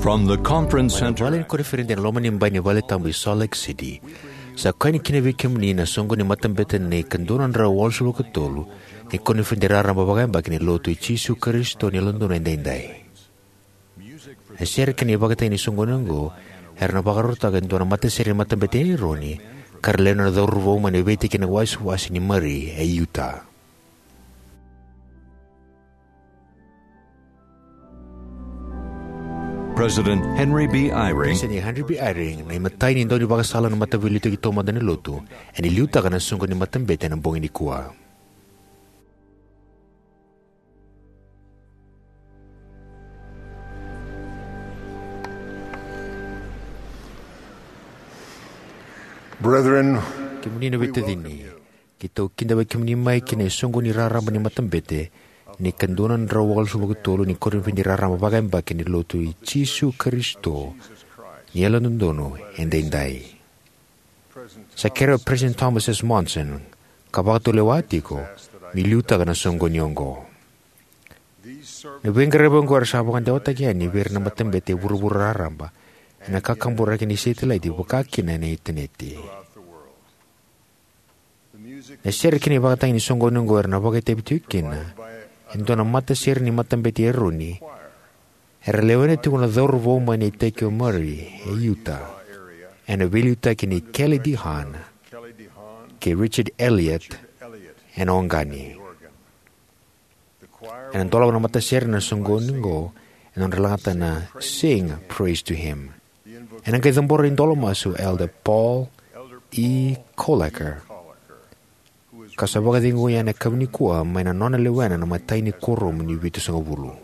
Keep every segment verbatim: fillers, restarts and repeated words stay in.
From the conference center. Vale ni koniferedi ena loma ni bai ni vale tabu i Salt Lake City. Sa koya ni kina vei kemuni na soqo ni matabete ni ka dua na drau walusagavulu ka tolu ni koniferedi raraba vakayabaki ni Lotu i Jisu Karisito ni Yalododonu Edaidai. Na sere kei na ivakatagi ni soqoni oqo era na vakarautaka e dua na matasere ni matabete e Eroni, ka ra lewe na cauravou mai na veitikina wasewase ni Murray e Utah. President Henry B. Eyring. President Henry B. Eyring, na imatai ni daunivakasala na Mataveiliutaki Taumada ni Lotu, ena liutaka na soqoni ni matabete ena bogi nikua. Brethren, kemuni na veitacini, keitou kidavaki kemuni mai ki na isoqoni raraba ni matabete ni ka dua na drau walusagavulu ka tolu ni koniferedi raraba vakayabaki ni Lotu i Jisu Karisito ni Yalododonu Edaidai. Sa kerea o President Thomas S. Monson, ka vakatulewa tiko, meu liutaka na soqoni oqo. Na veiqaravi oqo era sa vakadewataki yani vei ira na matabete e vuravura raraba ena kakaburaki ni setilaiti, vaka kina ena initaneti. Na sere kei na ivakatagi ni soqoni oqo era na vakaitavi tiko kina e dua na matasere ni matabete e Eroni, era lewena tiko na cauravou mai na iteki o Murray e Utah, ena veiliutaki nei Kelly D. Hahn kei Richard Elliott ena Oregon. Ena dolava na matasere na soqoni oqo ena nodra lagata na Sing Praise to Him. Ena qai cabora idola masu o Elder Paul E. Koelliker, ka sa vakacegui yani ena yakavi nikua mai na nona lewena na imatai ni kuoramu ni Vitusagavulu.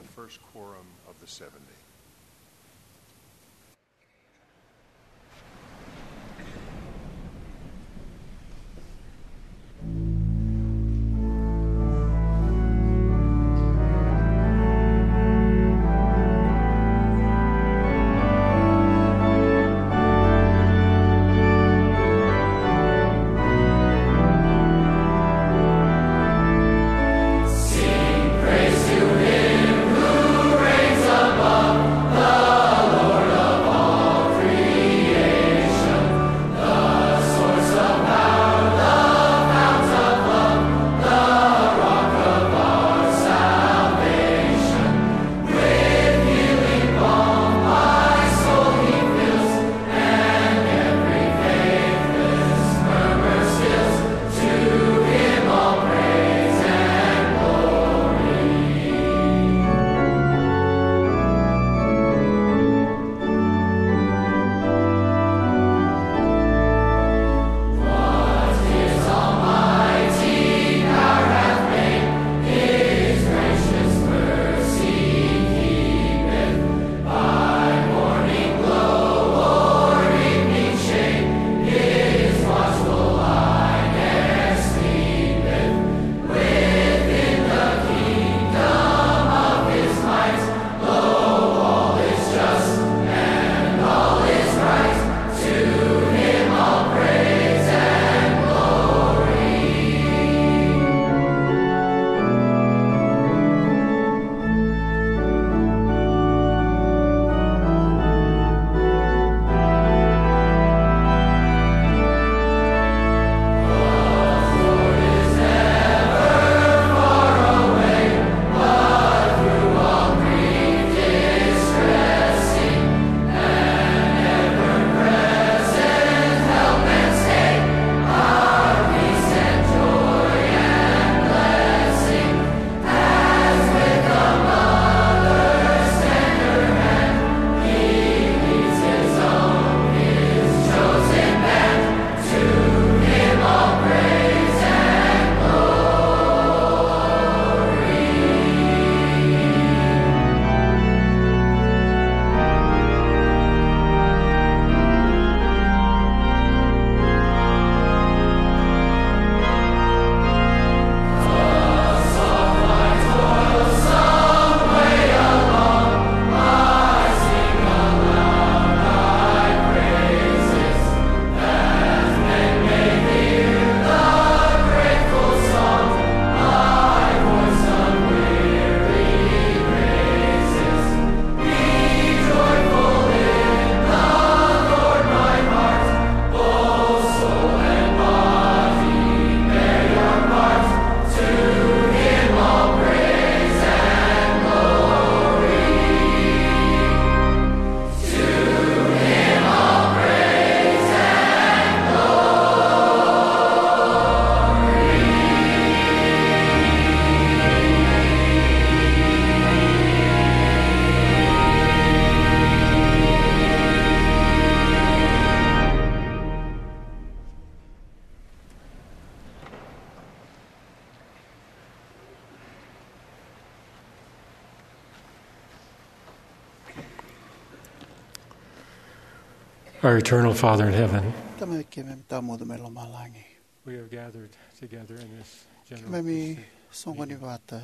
Our eternal Father in heaven, Tamai keimami tawamudu mai lomalagi, we have gathered together in this general keimami priesthood soqoni vata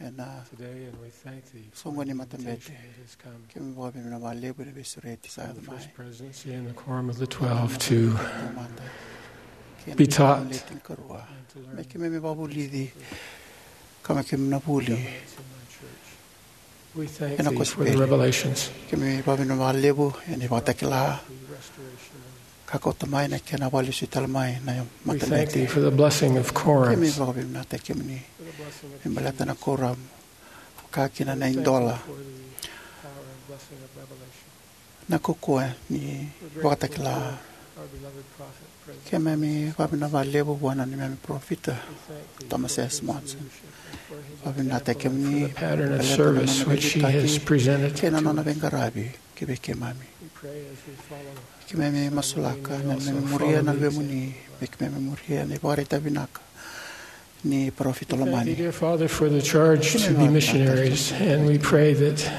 ena today, and we thank thee for soqoni the matabete invitation that has come. Keimami vakavinavinaka vakalevu ena veisureti sa yaco mai. Presidency and the quorum of the twelve to Tamata, kei na be taught. Leti ni karua. Me keimami vakavulici, ka me keimami na vuli. We thank ena thee for the kosipeli. Revelations. Keimami vakavinavinaka vakalevu ena ivakatakila. Ka kauta mai na kena vakalesuitale mai na matabete. We thank thee for the blessing of quorums. Keimami vakavinavinakataki kemuni me baleta na quorum. Ka kina na idola. Na kaukauwa ni ivakatakila. Keimami vakavinavinaka vakalevu vua na neimami parofita, Thomas S. Monson. Vakavinavinakataki kemuni me baleta na nona veiliutaki kei na nona veiqaravi kivei keimami. Keimami masulaka na neimami muria na Luvemuni, me keimami muria na ivakaraitaki vinaka ni parofita lomani. Thank you, dear Father, for the charge to be missionaries, and we pray that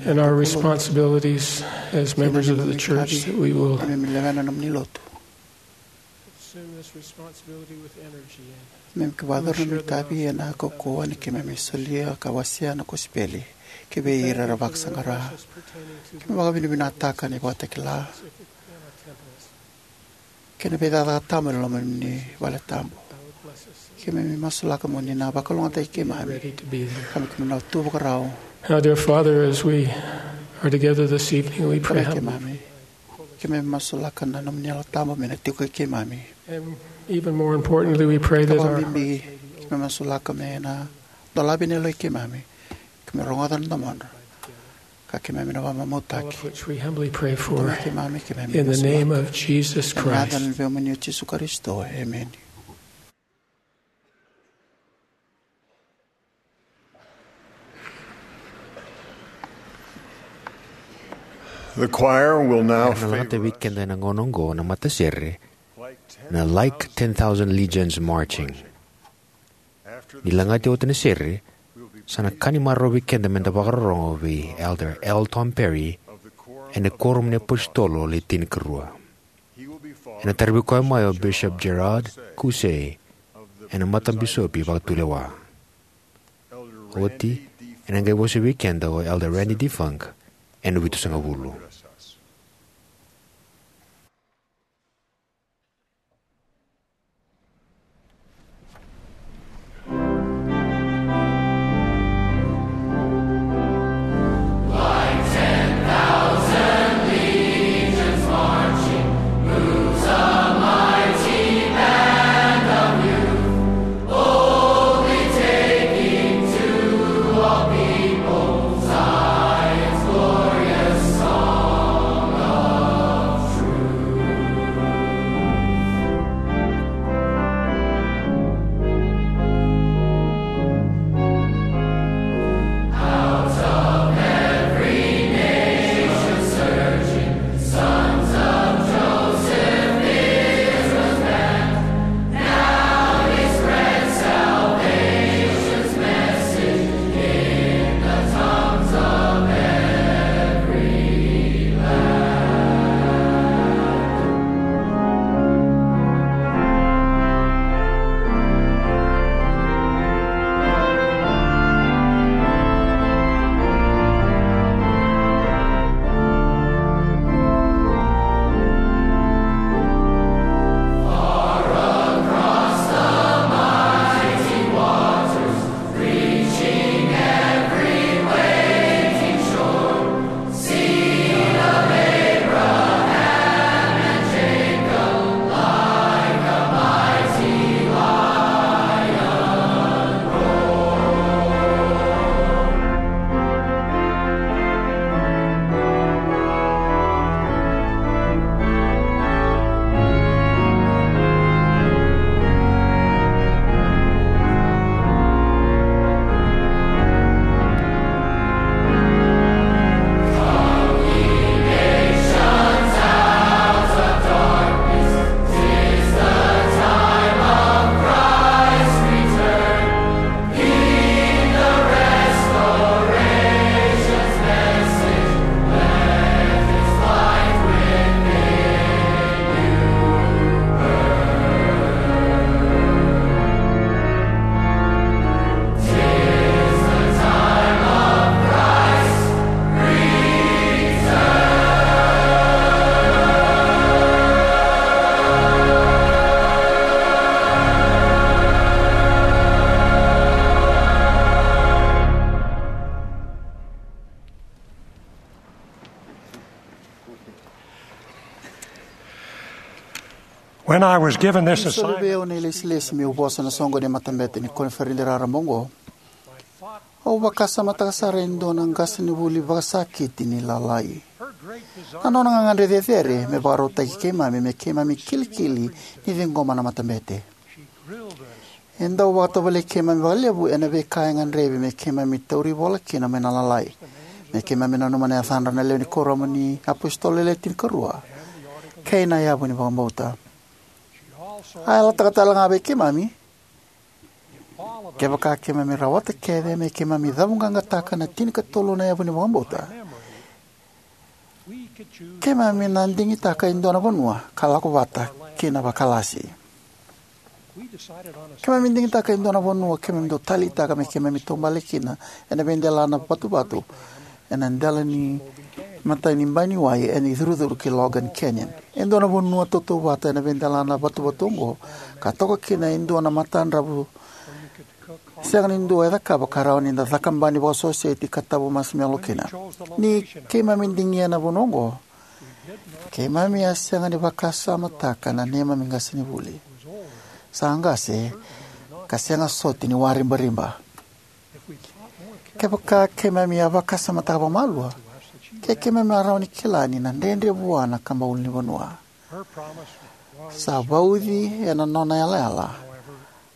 in our responsibilities as members of the church that we will consume this responsibility with energy and me keimami vakayacora na noda itavi ena kaukauwa ni keimami solia ka wasea na kosipeli kivei ira era vakasaqara. Keimami vakavinavinakataka na ivakatakila kei na veicakacaka tabu ena loma ni vale tabu. Keimami masulaka mo ni na vakalougatataki keimami. Ka me keimami na tu vakarau. Now, dear Father, as we are together this evening, we pray humbly. Keimami masulaka na nomuni Yalo Tabu me na tiko kei keimami. And even more importantly, we pray that our hearts may be open. Keimami masulaka me na dolavi na yaloi keimami. Keimami rogoca na domodra. Ka keimami na vakamamautaki. All of which we humbly pray for in the name of Jesus Christ. Keimami, keimami masulaka ena yaca ni Luvemuni o Jisu Karisito. Emeni. The choir will now favor us. Era na lagata vei keda ena gauna oqo na matasere na Like ten Thousand Legions Marching. Ni lagati oti na sere, sa na ka ni marau vei keda me da vakarorogo vei Elder L. Tom Perry ena Kuoramu ni iApositolo Le Tinikarua. Ena taravi koya mai o Bishop Gerard Caussé ena Matabisopi Vakatulewa. Oti, ena qai vosa vei keda o Elder Randy D. Funk ena Vitusagavulu. When I was given this Ni soli vei assignment, au na ilesilesi meu vosa na soqoni ni matabete ni koniferedi raraba oqo, au vakasamataka sara e dua na qasenivuli vakasakiti ni lalai. Na nona gagadre cecere me vakarautaki keimami me keimami kilikili ni ciqoma na matabete. E dau vakatovolei keimami vakalevu ena veika e gadrevi me keimami tauri vola kina mai na lalai. Me keimami nanuma na yacadra na lewe ni kuoramu ni apositolo le tinikarua kei na yavu ni vakabauta. A yalataka tale ga vei keimami, kevaka keimami rawata kece me keimami cavuqaqataka na tinikatolu na yavu ni vakabauta, keimami na digitaka e dua na vanua ka lako vata kina vakalasi. Keimami digitaka e dua na vanua keimami dau taleitaka me keimami taubale kina ena veidelana vatuvatu ena dela ni matai ni bai ni wai ena icurucuru ki Logan Canyon. E dua na vanua tautauvata ena veidelana vatuvatu oqo, ka toka kina e dua na matadravu sega ni dua e cakava, ka rawa ni da cakabani vakasoseti ka tavu masimelo kina. Ni keimami digia na vanua oqo, keimami a sega ni vakasamataka na neimami qasenivuli. Sa qase ka sega soti ni waribariba. Kevaka keimami a vakasamataka vakamalua, ke keimami a rawa ni kila ni na dredre vua na kaba ulunivanua. Sa vauci ena nona yalayala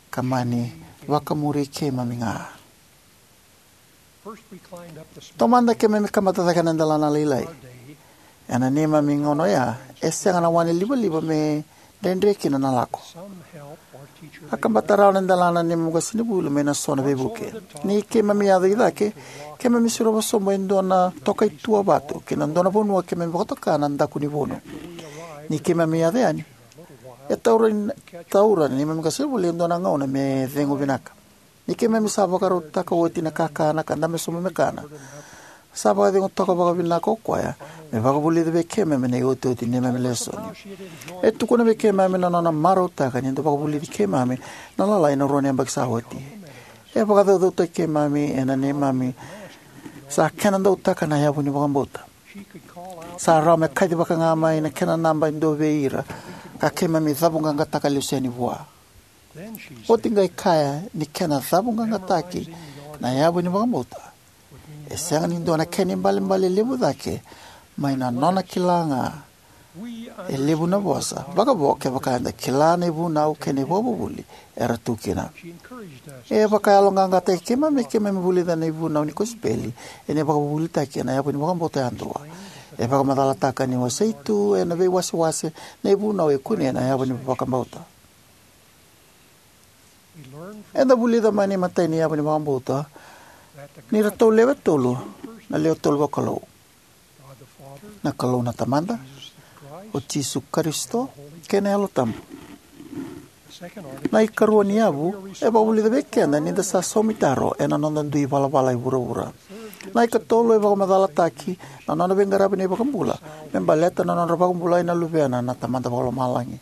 ka mani vakamuri keimami ga. Taumada keimami kabata cake na delana lailai. Ena neimami gauna oya, e sega na wane livaliva me dredre kina na lako. A kabata rawa na delana neimami qasenivuli mai na so na veivuke. Ni keimami yaco i cake, keimami surova sobu e dua na tokaitua vatu ki na dua na vanua keimami vakatoka na daku ni vunu. Ni keimami yaco yani, e taura, taura na neimami qasenivuli e dua na gauna me cegu vinaka. Ni keimami sa vakarautaka oti na kakana ka dabe sobu me kana, sa vakacegu toka vakavinaka o koya me vakavulica vei keimami na iotioti ni neimami lesoni. E tukuna vei keimami na nona marautaka ni da vakavulici keimami na lalai na rua na yabaki sa oti. E vakacaucautaki keimami ena neimami sa kena dautaka na yavu ni vakabauta. Sa rawa me kacivaka ga mai na kena naba e dua vei ira ka keimami cavuqaqataka lesu yani vua. Oti qai kaya ni kena cavuqaqataki na yavu ni vakabauta e sega ni dua na kena ibalebale levu cake mai na nona kila ga e levu na vosa vakavo kevaka eda kila na ivunau kei na ivakavuvuli era tu kina. E vakayaloqaqataki keimami me keimami vulica na ivunau ni kosipeli ena ivakavuvulitaki ena yavu ni vakabauta yadua. E vakamacalataka ni wasei tu ena veiwasewase na ivunau e kunei ena yavu ni vakabauta. Eda vulica mai na imatai ni yavu ni vakabauta ni ratou lewe tolu na lewe tolu vakalou: na Kalou na Tamada, o Jisu Karisito, kei na Yalo Tabu. Na ikarua ni yavu e vakavulica vei keda ni da sa saumi taro ena noda dui valavala e vuravura. Na ikatolu e vakamacalataki na nona veiqaravi na iVakabula me baleta na nodra vakabulai na luvena na Tamada Vakalomalagi.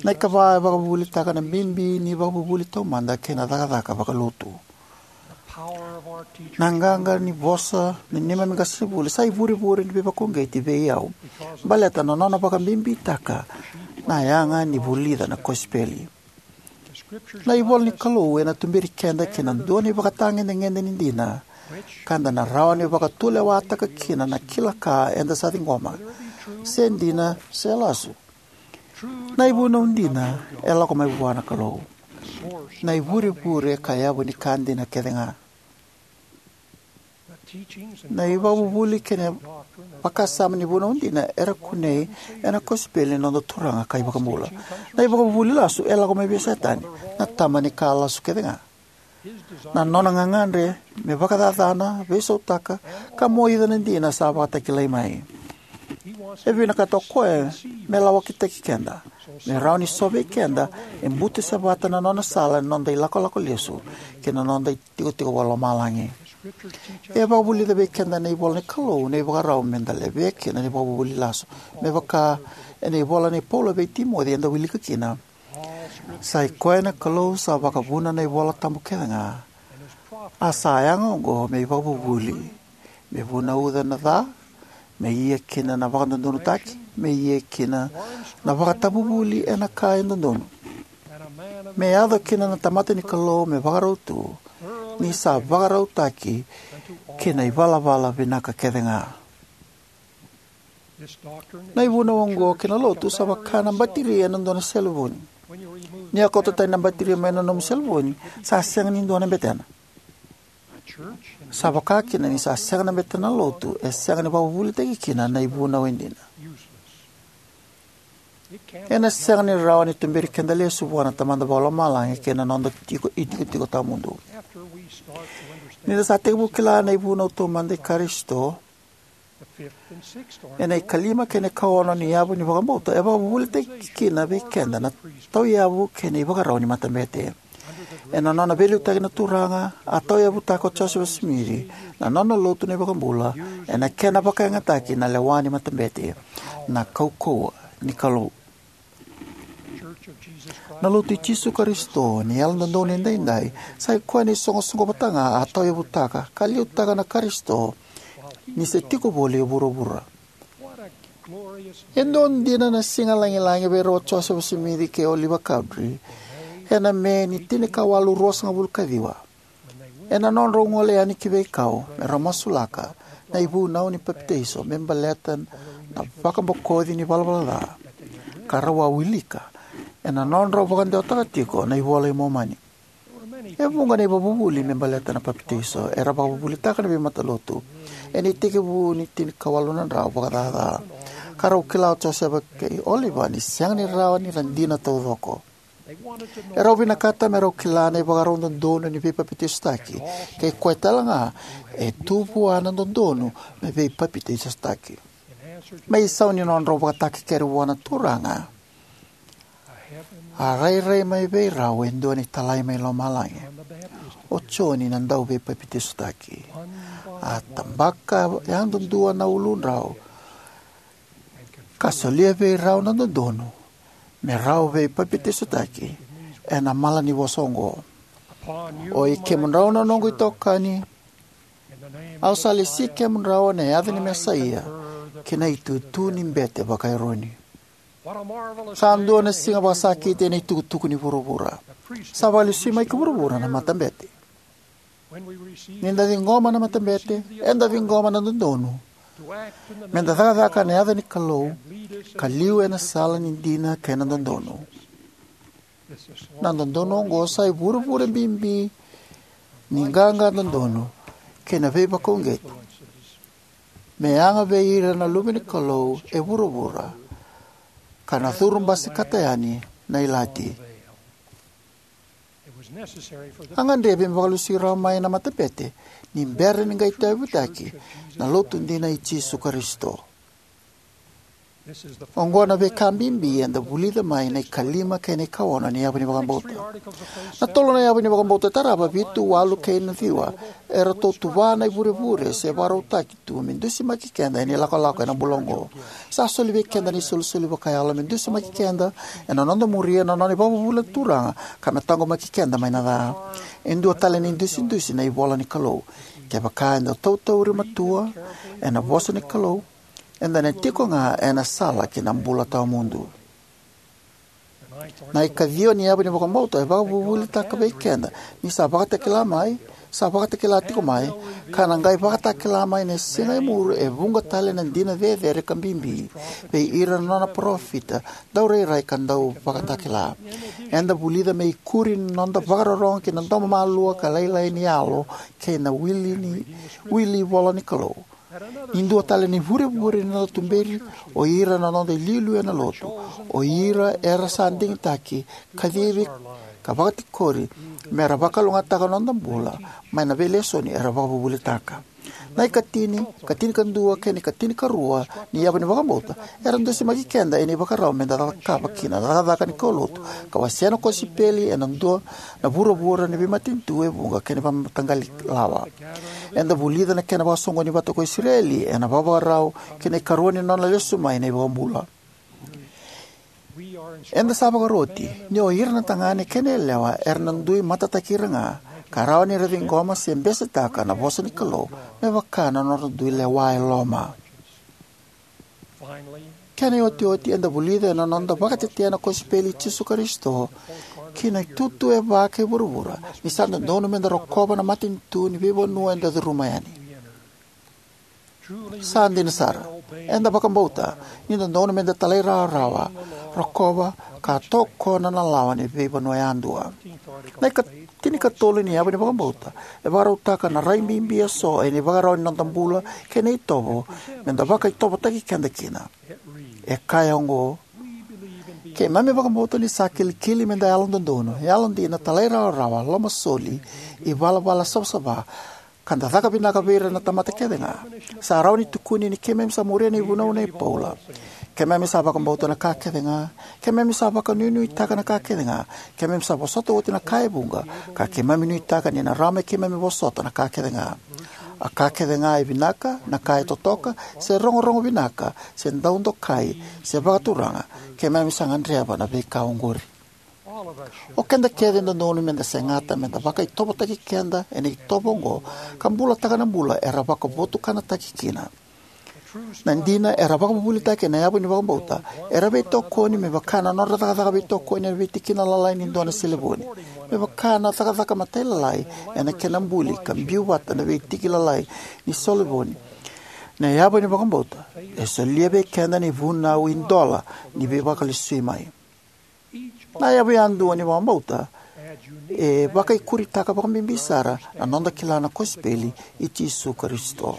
Na ikava e vakavuvulitaka na bibi ni vakavuvuli taumada kei na cakacaka vakalotu. Na qaqa ni vosa ni neimami qasenivuli sa ivurevure ni veivakauqeti vei au baleta na nona vakabibitaka na yaga ni vulica na kosipeli. Na ivola ni Kalou ena tuberi keda ki na dua na ivakatagedegede ni dina ka da na rawa ni vakatulewataka kina na kila ka eda sa ciqoma, se dina se lasu. Na ivunau dina e lako mai vua na Kalou, na ivurevure ka yavu ni ka dina kece ga. Na ivakavuvuli kei na vakasama ni vunau dina era kunei ena kosipeli ni noda Turaga ka iVakabula. Na ivakavuvuli lasu e lako mai vei Setani, na tama ni ka lasu kece ga. Na nona gagadre me vakacacana, veisautaka, ka moica na dina sa vakatakilai mai. E vinakata o koya me lawakitaki keda me rawa ni sovei keda e butusevata na nona sala ena noda ilakolako lesu ki na noda itikotiko vakalomalagi. E vakavulica vei keda na ivola ni Kalou na ivakarau me da levea kina na ivakavuvuli lasu, me vaka ena ivola nei Paula vei Timoci eda wilika kina: Sa i koya na Kalou sa vakavuna na ivola tabu kece ga, a sa yaga oqo me ivakavuvuli, me vunauca na ca, me ia kina na vakadodonutaki, me ia kina na vakatavuvuli ena ka e dodonu, me yaco kina na tamata ni Kalou me vakarau tu, ni sa vakarautaki ki na ivalavala vinaka kece ga. Na ivunau oqo ki na lotu sa vaka na batiri ena dua na selevoni. Ni a kauta tani na batiri mai na nomu selevoni, sa sega ni dua na betena. Sa vaka kina ni sa sega na betena na lotu, e sega ni vakavuvulitaki kina na ivunau e dina. Ena sega ni rawa ni tuberi keda lesu vua na Tamada Vakalomalagi kei na noda tiko itikotiko tawamudu. Ni da sa tekivu kila na ivunau taumada i Karisito, ena ikalima kei na ikaono ni yavu ni vakabauta e vakavuvulitaki kina vei keda na tauyavu kei na ivakarau ni matabete. Ena nona veiliutaki na Turaga, a tauyavutaka o Josefa Simici na nona lotu na iVakabula ena kena vakayagataki na lewa ni matabete, na kaukauwa ni Kalou. Na Lotu i Jisu Karisito ni Yalododonu Edaidai sa ikoya na isoqosoqo vata ga a tauyavutaka ka liutaka na Karisito ni se tiko voli e vuravura. E dua dina na siga lagilagi vei rau o Josefa Simici kei Oliva Cowdery ena Me ni tinikawalu ruasagavulu ka ciwa, ena nodrau gole yani ki veikau me rau masulaka na ivunau ni papitaiso me baleta na vakabokoci ni valavala ca, ka rau a wilika ena nodrau vakadewataka tiko na iVola i Momani. E vuqa na ivakavuvuli me baleta na papitaiso era vakavuvulitaka na veimatalotu ena itekivu ni tinikawalu na drau vakacaca, ka rau kila o Josefa kei Oliva ni sega ni rawa ni ra dina taucoko. E rau vinakata me rau kila na ivakarau dodonu ni veipapitaisotaki, kei koya tale ga e tu vua na dodonu me veipapitaisotaki. Me isau ni nodrau vakatakekere vua na Turaga, a rairai mai vei rau e dua na italai mai lomalagi, o Joni na dauveipapitaisotaki. A tabaka yadudua na uludrau ka solia vei rau na dodonu me rau veipapitaisotaki ena mala ni vosa oqo: "O i kemudrau na noqu itokani, au sa lesi kemudrau ena yaca ni Mesaia ki na itutu ni bete vaka-Eroni." Sa dua na siga vakasakiti ena itukutuku ni vuravura. Sa vakalesui mai ki vuravura na matabete. Ni da ciqoma na matabete, eda ciqoma na dodonu me da cakacaka ena yaca ni Kalou ka liu ena sala ni dina kei na dodonu. Na dodonu oqo sa ivurevure bibi ni qaqa dodonu kei na veivakauqeti me yaga vei ira na luve ni Kalou e vuravura, ka na curu basikata yani na ilati. A gadrevi me vakalesui rawa mai na matabete ni bera ni qai tauyavutaki na Lotu dina i Jisu Karisito. Oqo na veika bibi eda vulica mai na ikalima kei na ikaono ni yavu ni vakabauta. Na tolu na yavu ni vakabauta e tarava, vitu, walu kei na ciwa, eratou tuva na ivurevure se vakarautaki tu me dusimaki keda ena ilakolako ena bula oqo. Sa soli vei keda na isolisoli vakayalo me dusimaki keda ena noda muria na nona ivakavuvuli na Turaga ka me taqomaki keda mai na ca. E dua tale na idusidusi na ivola ni Kalou: "Kevaka eda tautauri matua ena vosa ni Kalou, eda na tiko ga ena sala ki na bula tawamudu." Na ikaciwa ni yavu ni vakabauta e vakavuvulitaka vei keda ni sa vakatakila mai, sa vakatakila tiko mai, ka na qai vakatakila mai ena siga e muri e vuqa tale na dina cecere ka bibi vei ira na nona parofita, daurairai ka dauvakatakila. Eda vulica me ikuri na noda vakarorogo ki na domo malua ka lailai ni yalo kei na wili ni, wili ivola ni Kalou. Ni dua tale na ivurevure ni noda tuberi o ira na noda iliuliu ena Lotu, o ira era sa digitaki, kacivi, ka vakatikori me ra vakalougatataka na noda bula mai na veilesoni era vakavuvulitaka. Na ikatini, katinikadua kei na ikatinikarua ni yavu ni vakabauta era dusimaki keda ena ivakarau me da cakava kina na cakacaka ni kaulotu ka wasea na kosipeli ena dua na vuravura ni veimatanitu e vuqa kei na veimataqali lawa. Eda vulica na kena vakasoqoni vata ko Isireli ena vakavakarau ki na ikarua ni nona lesu mai na iVakabula. Eda sa vakaroti ni o ira na tagane kei na yalewa era na dui matataki ira ga ka rawa ni ra ciqoma se besetaka na vosa ni Kalou me vaka na nodra dui lewa e loma. Kena iotioti, eda vulica ena noda vakatetea na kosipeli i Jisu Karisito ki na itutu e va kei vuravura ni sa dodonu meda rokova na matanitu ni veivanua eda curuma yani. Sa dina sara, eda vakabauta ni dodonu meda talairawarawa, rokova, ka tokona na lawa ni veivanua yadua. Na ika-, tinikatolu ni yavu ni vakabauta e vakarautaka na rai bibi eso ena ivakarau ni noda bula kei na itovo meda vakaitovotaki keda kina. E kaya oqo: Keimami vakabauta ni sa kilikili meda yalododonu, yalodina, talairawarawa, lomasoli, ivalavala savasava, ka da caka vinaka vei ira na tamata kece ga. Sa rawa ni tukuni ni keimami sa muria na ivunau nei Paula: Keimami sa vakabauta na ka kece ga, keimami sa vakanuinuitaka na ka kece ga, keimami sa vosota oti na ka e vuqa, ka keimami nuitaka ni na rawa me keimami vosota na ka kece ga. A ka kece ga e vinaka, na ka e totoka, se rogorogo vinaka, se dau dokai, se vakaturaga, keimami sa gadreva na veika oqori. O keda kece e dodonu meda segata meda vakaitovotaki keda ena itovo oqo ka bulataka na bula era vakavotukanataki kina. Na dina, era vakavuvulitaki ena yavu ni vakabauta, era veitokoni me vaka na nodra cakacaka veitokoni ena veitikina lalai ni dua na selevoni, me vaka na cakacaka matailalai ena kena buli ka biu vata na veitiki lalai ni selevoni. Na yavu ni vakabauta e solia vei keda na ivunau idola ni veivakalesui mai. Na yavu yadua ni vakabauta e vakaikuritaka vakabibi sara na noda kila na kosipeli i Jisu Karisito.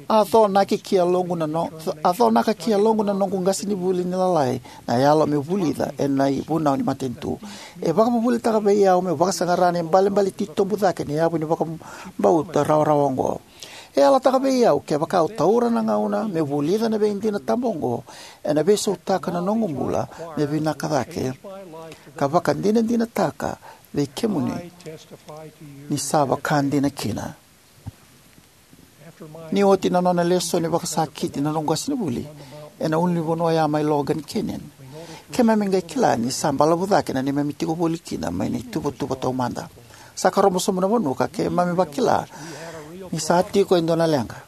A conaka ki yaloqu na no-, a conaka ki yaloqu na noqu qasenivuli ni lalai na yalo meu vulica ena ivunau ni matanitu. E vakavuvulitaka vei au meu vakasaqara na ibalebale titobu cake ni yavu ni vakabauta rawarawa oqo. E yalataka vei au kevaka au taura na gauna meu vulica na veidina tabu oqo, ena veisautaka na noqu bula me vinaka cake, ka vakadinadinataka vei kemuni ni sa vaka dina kina. Ni oti na nona lesoni vakasakiti na noqu qasenivuli ena ulunivanua ya mai Logan Canyon, keimami qai kila ni sa balavu cake na neimami tiko voli kina mai na ituvatuva taumada. Sa karobo sobu na vanua ka keimami vakila ni sa tiko e dua na leqa.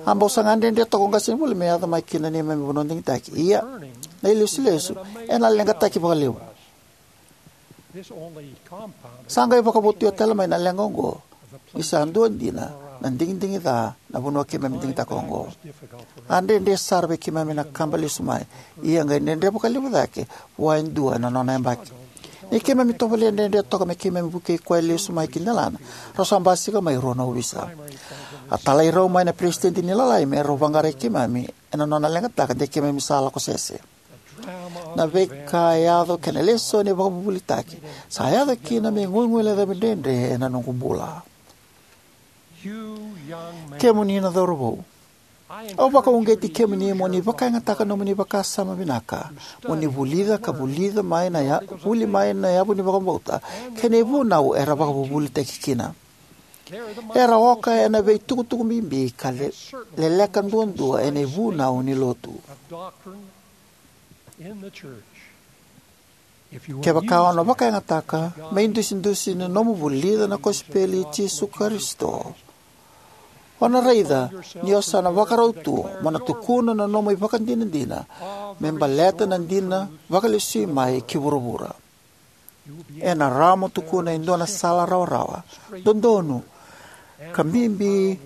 A bau saga dredre toka o qasenivuli me yaco mai ki na neimami vanua digitaki. Ia, na ilesulesu ena leqataki vakalevu. Sa qai vakavotuya tale mai na leqa oqo ni sa dua dina na digidigi ca na vanua keimami digitaka oqo. A dredre sara vei keimami na kaba lesu mai, ia qai dredre vakalevu cake vua e dua ena nona yabaki. Ni keimami tovolea dredre toka me keimami vukei koya lesu mai ki delana, rau sa basika mai e rua na ovisa. A talai rau mai na peresitedi ni lalai me rau vaqarai keimami ena nona leqataka de keimami sa lako sese. Na veika e yaco kei na lesoni e vakavuvulitaki sa yaco kina me guiguilecavi dredre ena noqu bula. Kemuni na cauravou, au vakauqeti kemuni mo ni vakayagataka nomuni vakasama vinaka, mo ni vulica ka vulica mai na ya-, vuli mai na yavu ni vakabauta kei na ivunau era vakavuvulitaki kina. Era oka ena veitukutuku bibi ka le-, leleka duadua ena ivunau ni lotu. Kevaka o na vakayagataka me idusidusi na nomu vulica na kosipeli i Jisu Karisito, o na raica ni o sa na vakarau tu mo na tukuna na nomu ivakadinadina me baleta na dina vakalesui mai ki vuravura. Ena rawa mo tukuna e dua na sala rawarawa, dodonu, ka bibi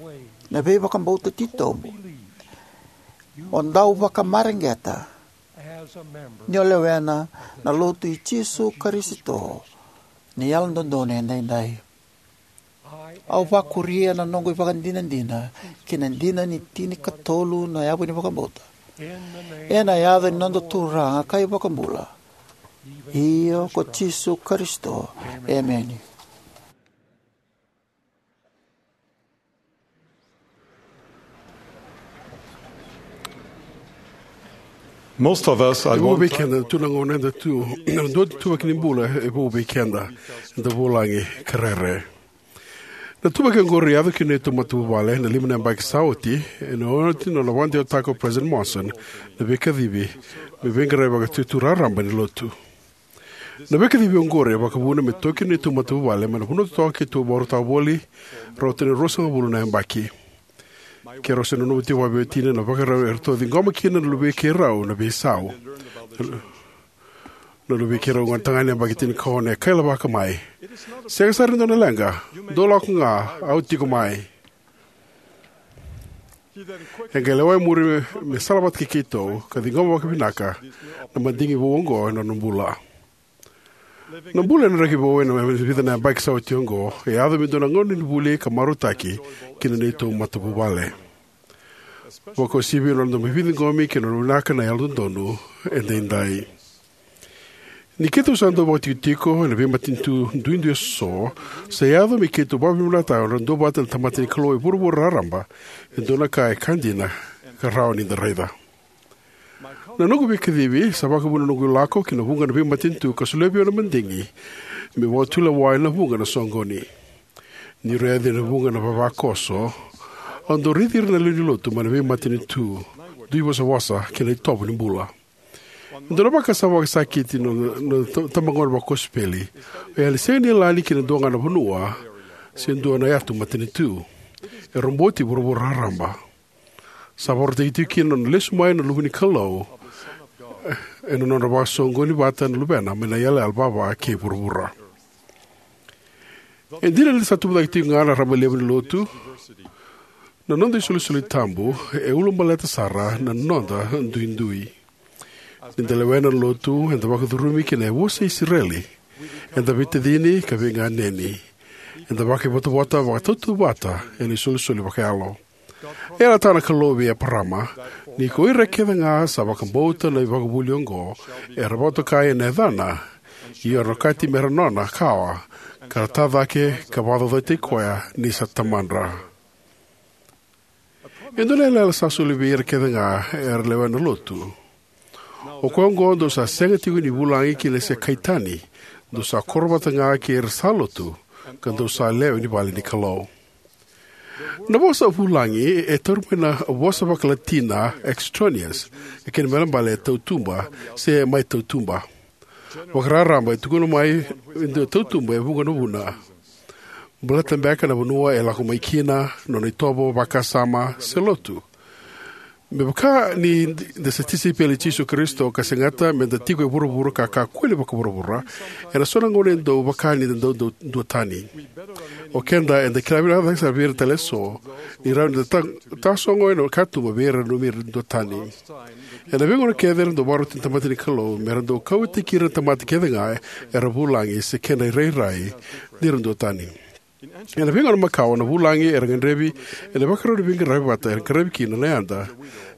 na veivakabauta titobu. O dau vakamareqeta ni o lewena na lotu i Jisu Karisito ni Yalododonu Edaidai. Au vakuria na noqu ivakadinadina ki na dina ni tinikatolu na yavu ni vakabauta, ena yaca ni noda Turaga ka iVakabula, io ko Jisu Karisito. Emeni. Most of us, I E vou won't vei try keda, tu na gauna eda tu, na dua tu vaki ni bula e vou vei keda, eda vulagi ka rere. Na tuvaki oqori e yaco ki na neitou matavuvale na lima na yabaki sa oti, ena oti na nona vakadewataka o President Monson na veikacivi me veiqaravi vakaitutu raraba ni lotu. Na veikacivi oqori e vakavuna me toki na neitou matavuvale mai na vanua totoka keitou vakarautaka voli, rauta ni ruasagavulu na yabaki. Keirau se nanuma tiko vakaveitacini na ivakarau eratou ciqoma kina na luvei keirau na veisau. Na luvei keirau gonetagane yabaki tinikaono e kailavaka mai, "Sega sara ni dua na leqa, dou lako ga, au tiko mai." E qai lewa e muri me sala vata kei keitou ka ciqoma vakavinaka na madigi vou oqo ena nona bula. Na bula ena draki vou ena vica na yabaki sa oti oqo e yaco me dua na gauna ni vuli ka marautaki ki na neitou matavuvale, vakauasivi ena noda mai veiciqomi kei na nona vinaka na yalododonu edaidai. Ni keitou sa dau vakaitikotiko ena veimatanitu duidui eso, sa yaco me keitou vakavinavinakataka na nodra duavata na tamata ni Kalou e vuravura raraba e dua na ka e ka dina ka rawa ni da raica. Na noqu veikacivi sa vakavuna na noqu lako ki na vuqa na veimatanitu ka solia vei au na madigi me vakatulewa ena vuqa na soqoni. Niu raica na vuqa na vavakoso, au dau raici ira na lewe ni lotu mai na veimatanitu, dui vosavosa kei na itovo ni bula. E dua na vakasama vakasakiti na, na ta- itabagauna vakosipeli, o ya ni sega ni yalani ki na dua ga na vanua se dua na yatu matanitu. E roboti vuravura raraba. Sa vakarautaki tiko kina na nona lesu mai na Luve ni Kalou ena nodra vakasoqoni vata na Luvena mai na iyalayala vava kei vuravura. E dina ni sa tubu cake tiko ga na raba levu ni lotu, na noda isolisoli tabu e ulabaleta sara na noda duidui. Ni da lewena na lotu, eda vakacurumi ki na yavusa i Isireli. Eda veitacini ka veiganeni. Eda vakaivotavota vakatautauvata ena isolisoli vakayalo. E yalataka na Kalou vei Eparama ni ko ira kece ga sa vakabauta na ivakavuvuli oqo era vakatokai ena yacana, io era na okati me ra nona kawa, ka ra tacake ka vakacaucautaki koya ni sa tamadra. E dua na yalayala sa soli vei ira kece ga era lewena na lotu. O koya oqo dou sa sega tiko ni vulagi kina se kai tani, dou sa koro vata ga kei ira sa lotu, ka dou sa lewe ni vale ni Kalou. Na vosa vulagi e tauri mai na vosa vakaLatina extraneus, e kena ibalebale e tautuba se mai tautuba. Vakararaba e tukuna mai e dua e tautuba e vuqa na vuna. Baleta beka na vanua e lako mai kina, nona itovo, vakasama, se lotu. Me vaka ni da sa tisaipeli i Jisu Karisito ka segata me da tiko e vuravura ka kakua ni vakavuravura, ena so na gauna e dau vaka ni da dau dau duatani. O keda eda kila vinaka cake sara vei ira tale eso ni rawa ni da ta- tasogo ena katuba vei ira na nanumi ira duatani. Ena veigauna kece era dau vakaroti na tamata ni Kalou me ra dau kauwaitaki ira na tamata kece ga era vulagi se kedra irairai ni ra duatani. Ena veigauna makawa na vulagi era gadrevi ena ivakarau ni veiqaravi vata era qaravi kina na yada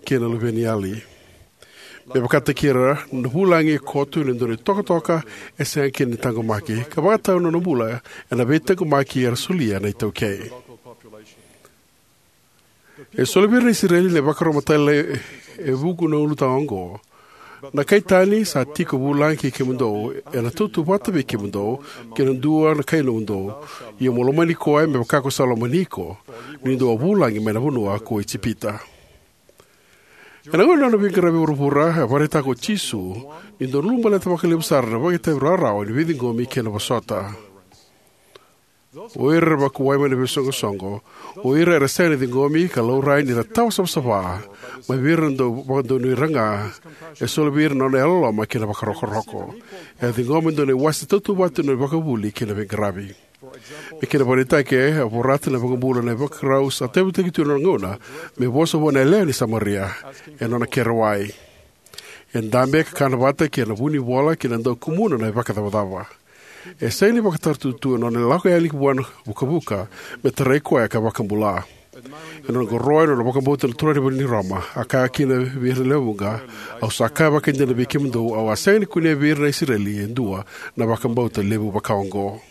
kei na luveniyali. Me vakataki ira, na vulagi e koto ena dua na itokatoka e sega kina ni taqomaki, ka vakatau na nona bula ena veitaqomaki era solia na iTaukei. E soli vei ira na Isireli na ivakarau matailalai e vuqa na ulutaga oqo. Na kai tani sa tiko vulagi kei kemudou, ena tautauvata vei kemudou kei na dua na kai nomudou. Ia mo lomani koya me vaka ko sa lomani iko ni dou a vulagi mai na vanua ko Ijipita. Ena gauna ni nona veiqaravi e vuravura, e vakaraitaka o Jisu ni dau ulabaleta vakalevu sara na vakaitavi rawarawa ni veiciqomi kei na vosota. O ira era vakuwai mai na veisoqosoqo, o ira era sega ni ciqomi ka laurai ni ra tawa savasava mai vei ira na dau vakadonui ira ga, e soli vei ira na nona yalololoma kei na vakarokoroko. E a ciqoma e dua na iwase tautauvata ni nona ivakavuvuli kei na veiqaravi. Me kena ivakaraitaki, e a vorata na iVakabula na ivakarau sa tauyavutaki tu ena nona gauna me vosa vua na yalewa ni Samaria ena nona kere wai. E dabe ka kana vata kei na vunivola kei na dau kumuna na ivakacavacava. E sega ni vakataratutu ena nona lako yani vua na vukavuka me tarai koya ka vakabula. Ena nona qoroya na nona vakabauta na turaga ni vanua ni Roma, a kaya kina vei ira na lewe vuqa, "Au sa kaya vakaidina vei kemudou, au a sega ni kunea vei ira na Isireli e dua na vakabauta levu vaka oqo."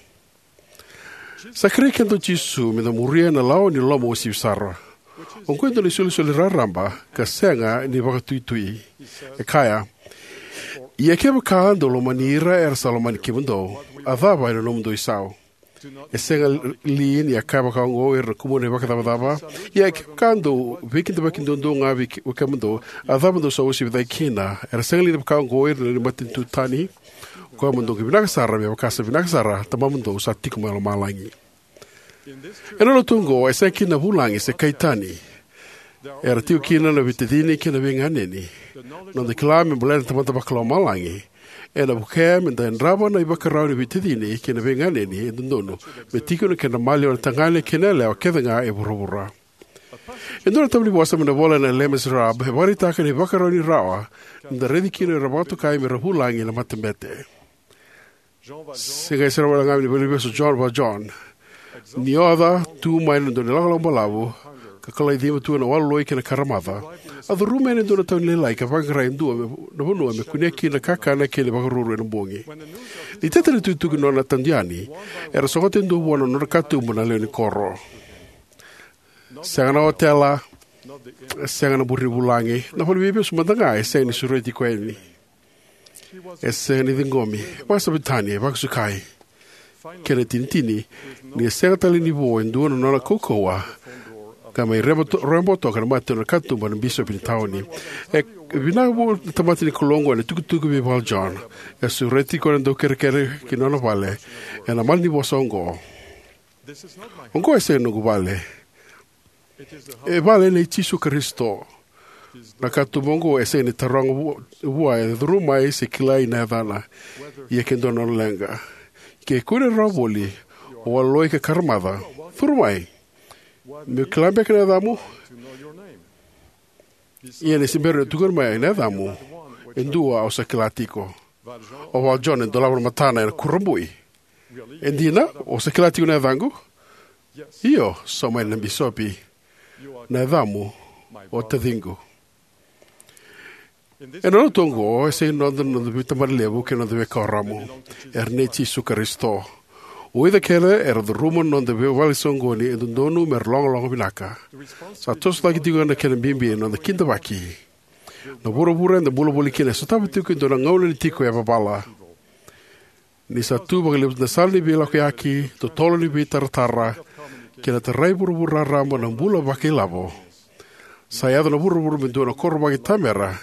Sa kerei keda o Jisu me da muria na lawa ni loloma uasivi sara. Oqo e dua na isolisoli raraba ka sega ni vakatuitui. E kaya, "Ia kevaka dou lomani ira era sa lomani kemudou, a cava ena nomudou isau? E sega li ni a kaya vaka oqo o ira na kumuna na ivakacavacava? Ia kevaka dou veikidavaki duadua ga vei ke- vei kemudou, a cava dou sa uasivi cake kina? Era sega li ni vaka oqo o ira na matanitu tani? Koya mo dou qai vinaka sara, me vaka sa vinaka sara Tamamudou sa tiko mai lomalagi." Ena lotu oqo e sega kina na vulagi se kai tani. Era tiko kina na veitacini kei na veiganeni. Noda kila me baleta na Tamada Vakalomalagi ena vukea me da yadrava na ivakarau ni veitacini kei na veiganeni e dodonu me tiko ena kedra maliwa na tagane kei na yalewa kece ga e vuravura. E dua na tavuni vosa mai na ivola na Les Miserables e vakaraitaka na ivakarau ni rawa ni da raici kina o ira vakatokai me ra vulagi na matabete. Se qai sere wale ga mai na veilevei o Jean Valjean. Ni oca tu mai na dua na ilakolako balavu, ka kalai cima tu na waloloi kei na karamaca, a curuma yani e dua na tavuni lailai ka vaqara e dua me, na vanua me kunea kina na kakana kei na ivakaruru ena bogi. Ni tete na itukutuku ni nona tadu yani, era sogota e dua vua na nodra katuba na lewe ni koro. Sega na otela, sega na bureni vulagi, na valeniveivesu mada ga e sega ni sureti koya yani. E sega ni ciqomi, vakasavitani, vakasukai. Kena itinitini, ni e sega tale ni vo e dua na nona kaukauwa, ka mai rebo to-, rebo toka na mata na katuba na bisopi ni tauni. E vinaka vua na tamata ni Kalou oqo ena itukutuku vei Valjean. E sureti koya na daukerekere ki nona vale ena malanivosa oqo. Oqo e sega ni noqu vale. E vale nei Jisu Karisito. Na katuba oqo e sega ni taroga vu-, vua e curu mai se kilai na yacana. Ia ke dua na nona leqa. Ke kune rawa voli o waloloi ka karamaca, curu mai. Meu kila beka na yacamu? Ia ni se bera ni tukuna mai na yacamu, e dua au sa kila tiko. O Valjean e dolava na matana ena kurabui. E dina, o sa kila tiko na yacaqu? Io, sauma na bisopi. Na yacamu, o taciqu. Ena lotu oqo, e sega ni noda na noda veitabana levu kei na noda veikuoramu. Era nei Jisu Karisito. O ira kece era curuma na noda veivale soqoni e dodonu me ra logaloga vinaka. Sa toso cake tiko na kena bibi na noda kidavaki. Na vuravura eda bula voli kina e sotava tiko e dua na gauna ni tiko e vavala. Ni sa tu vakalevu na sala ni veilakoyaki, totolo ni veitaratara, kei na tarai vuravura raraba na bula vakailavo. Sa yaco na vuravura me dua na koro vakaitamera,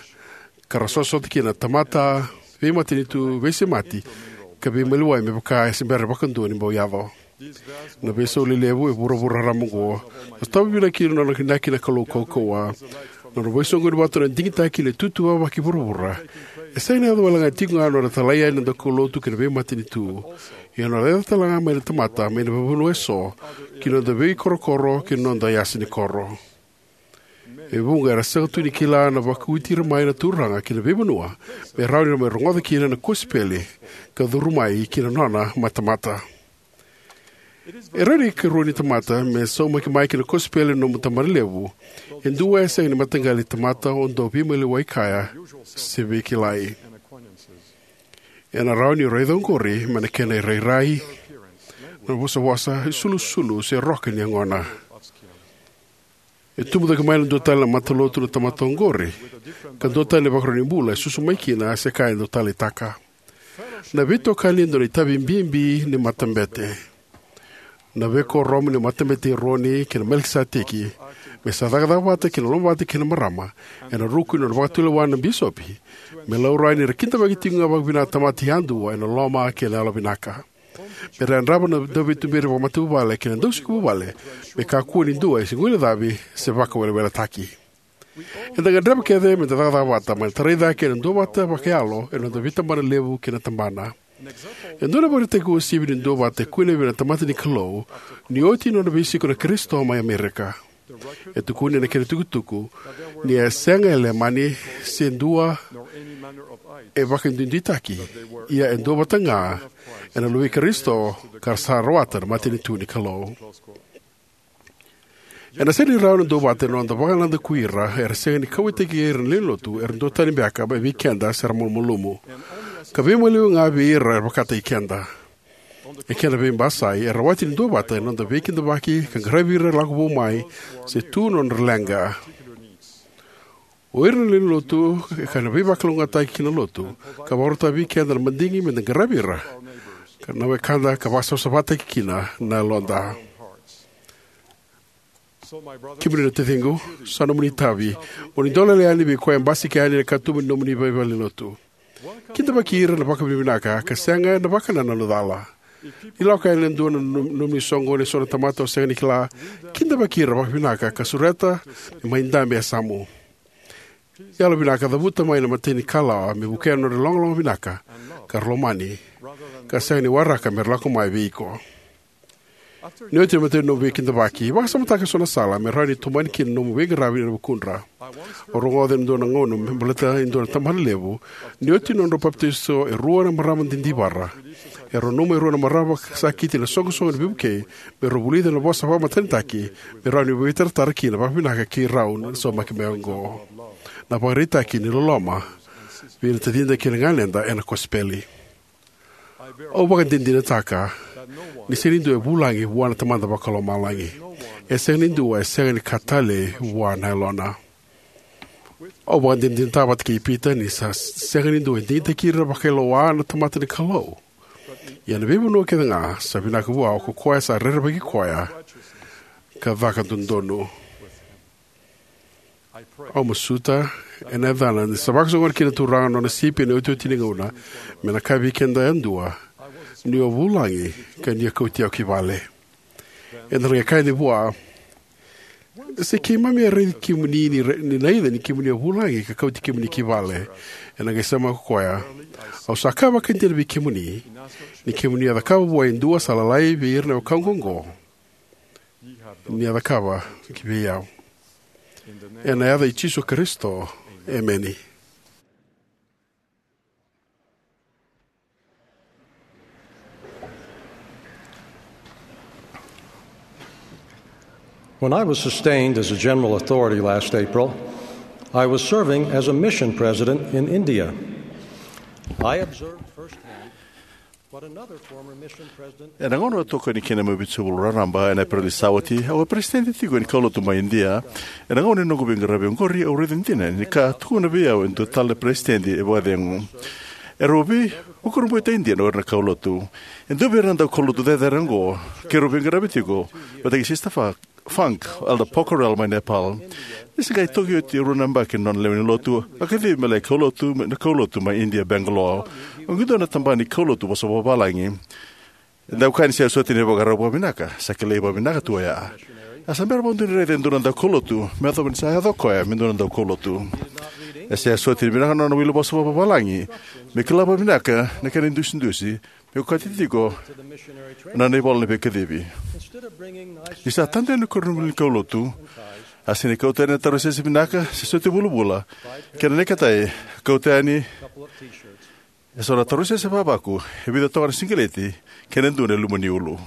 ka ra sosota kina na tamata, veimatanitu, veisemati, ka veimaliwai me vaka e se bera vakadua ni bau yaco. Na veisau lelevu e vuravura raraba oqo, e sotava vinaka kina na nona inaki na Kalou kaukauwa. Na nona veisoqoni vata na digitaki ni tutu vavaki vuravura. E sega ni yaco wale ga tiko ga na nona talai yani na daukaulotu kei na veimatanitu. Ia na nona yaco tale ga mai na tamata, mai na veivanua eso, ki na noda veikorokoro, ki na noda yasa ni koro. E vuqa era sega tu ni kila na vakauti ira mai na Turaga ki na veivanua, me rawa ni ra mai rogoca kina na kosipeli, ka curu mai ki na nona matamata. E rawa ni karua ni tamata me saumaki mai ki na kosipeli na nomu tabana levu, e dua e sega ni mataqali tamata o dau veimaliwai kaya, se veikilai. Ena rawa ni raica oqori mai na kena irairai, na vosavosa, isulusulu, se roka ni yagona. E tubu cake mai na dua tale na matalotu na tamata oqori, ka dua tale na ivakarau ni bula e susu mai kina se ka e dau taleitaka. Na veitokani e dua na itavi bibi ni matabete. Na veikuoramu ni matabete i Eroni kei na Melikiseteki, me sa cakacaka vata kei na lomavata kei na marama, ena ruku ni nona vakatulewa na bisopi, me laurai ni ra kidavaki tiko ga vakavinaka na tamata yadua ena loma kei na yalovinaka. Me ra yadrava na dauveituberi vakamatavuvale kei na dausiko vuvale, me kakua ni dua e se guilecavi se vakaweleweletaki. Eda gadreva kece me da cakacaka vata, me da tarai cake ena duavata vakayalo ena noda veitabana levu kei na tabana. E dua na ivakaraitaki uasivi ni duavata e kune vei na tamata ni Kalou, ni oti na nona veisiko na Karisito mai Amerika. E tukuni ena kena itukutuku, ni a sega e Leimani se dua e vakaduiduitaki, ia e duavata ga ena luvei Karisito ka ra sa rawata na matanitu ni Kalou. Ena sega ni rawa na duavata ena noda vakanadaku ira era sega ni kauwaitaki ira na lewe ni lotu, era duatani beka mai vei keda se ra malumalumu. Ka veimaliwai ga vei ira era vakataki keda. E kena veibasai, era rawati ni duavata ena noda veikidavaki ka qaravi ira lako vou mai, se tu na nodra leqa. O ira na lewe ni lotu, ka na veivakalougatataki ki na lotu, ka vakarautaka vei keda na madigi me da qaravi ira, ka na wekada ka vakasavasavataki kina na yaloda. Kemuni na taciqu, sa nomuni itavi, mo ni dau lele yani vei koya e basika yani ena katuba ni nomuni veivalenilotu. Kidavaki ira na vakavinavinaka, ka sega ena vakanananu cala. Ni lako yani e dua na nom- nomuni soqoni eso na tamata o sega ni kila, kidavaki ira vakavinaka ka sureta me mai dabe e yasamu. Yalovinaka, cavuta mai na imatai ni kalawa me vukea na nodra ilogaloga vinaka ka ra lomani, ka sega ni waraka me ra lako mai vei iko. Ni oti na imatai ni nomu veikidavaki, vakasamataka eso na sala me rawa ni tomani kina na nomu veiqaravi ena vukudra. Au rogoca ena dua na gauna me baleta e dua na tabanalevu, ni oti na nodrau papitaiso e rua na marama didivara, erau nanuma e rua na marama sakiti ena iSoqosoqo ni Veivukei me rau vulica na vosa vakamatanitaki me rawa ni veitaratara kina vakavinaka kei rau na saumaki mai oqo. Na ivakaraitaki ni loloma vei ira na tacida kei na ganeda ena kosipeli. Au vakadinadinataka ni sega ni dua e vulagi vua na Tamada Vakalomalagi. E sega ni dua e sega ni ka talei vua na Yalona. Au vakadinadinataka vata kei Pita ni sa sega ni dua e digitaki ira vakailoa na tamata ni Kalou. Ia na veivanua kece ga sa vinaka vua ko koya sa rerevaki koya ka caka dodonu. Au masuta ena Yacana ni sa vakasoqona kina na Turaga na nona sipi ena iotioti ni gauna, me na kaya vei keda yadua, niu a vulagi ka ni a kauti au ki vale. Eda na qai kaya yani vua, se keimami a raici kemuni ni, ra- ni raica ni kemuni a vulagi ka kauti kemuni ki vale. Ena qai sauma ko koya, au sa kaya vakaidina vei kemuni, ni kemuni a cakava vua e dua sa lalai vei ira na wekaqu oqo, ni a cakava ki vei au. Ena yaca i Jisu Karisito, emeni. When I was sustained as a general authority last April, I was serving as a mission president in India. I observed firsthand what another former mission president. Ena gauna au tokoni kina mai Vitusavulu raraba ena Epereli sa oti, au a peresitedi tiko ni kaulotu mai Idia. Ena gauna ni noqu veiqaravi oqori, au raica dina ni ka tukuna vei au e dua tale na peresitedi e vakacegu. Erau vei- Vakurabui tiko e Idia na o ira na kaulotu. E dua vei ira na daukaulotu cecere oqo keirau veiqaravi tiko vata kei Sister Fa- Funk, Elder Pokhrel mai Nepal. Ni se qai toki oti e rua na yabaki na nona lewe ni lotu, a kacivi me lai kaulotu na kaulotu mai Idia, Bangalore. Oqo e dua na tabana ni kaulotu vosa vakavalagi. E dau kaya ni sega soti ni vakarau vakavinaka, sa kilai vakavinaka tu oya. A sa bera vakadua ni raica e dua na daukaulotu me yacova ni sa yaco o koya me dua na daukaulotu. E sega soti ni vinaka na nona wili vosa vakavalagi me kila vakavinaka na kena idusidusi me okati tiko na nona ivola ni veikacivi. Ni sa tadu yani na koronivuli ni kaulotu, a sega ni kauta yani na tarausese vinaka se soti vulavula, kei na neketai, a kauta yani eso na tarausese vavaku, e vica toka na siqeleti, kei na dua na ilumu ni ulu.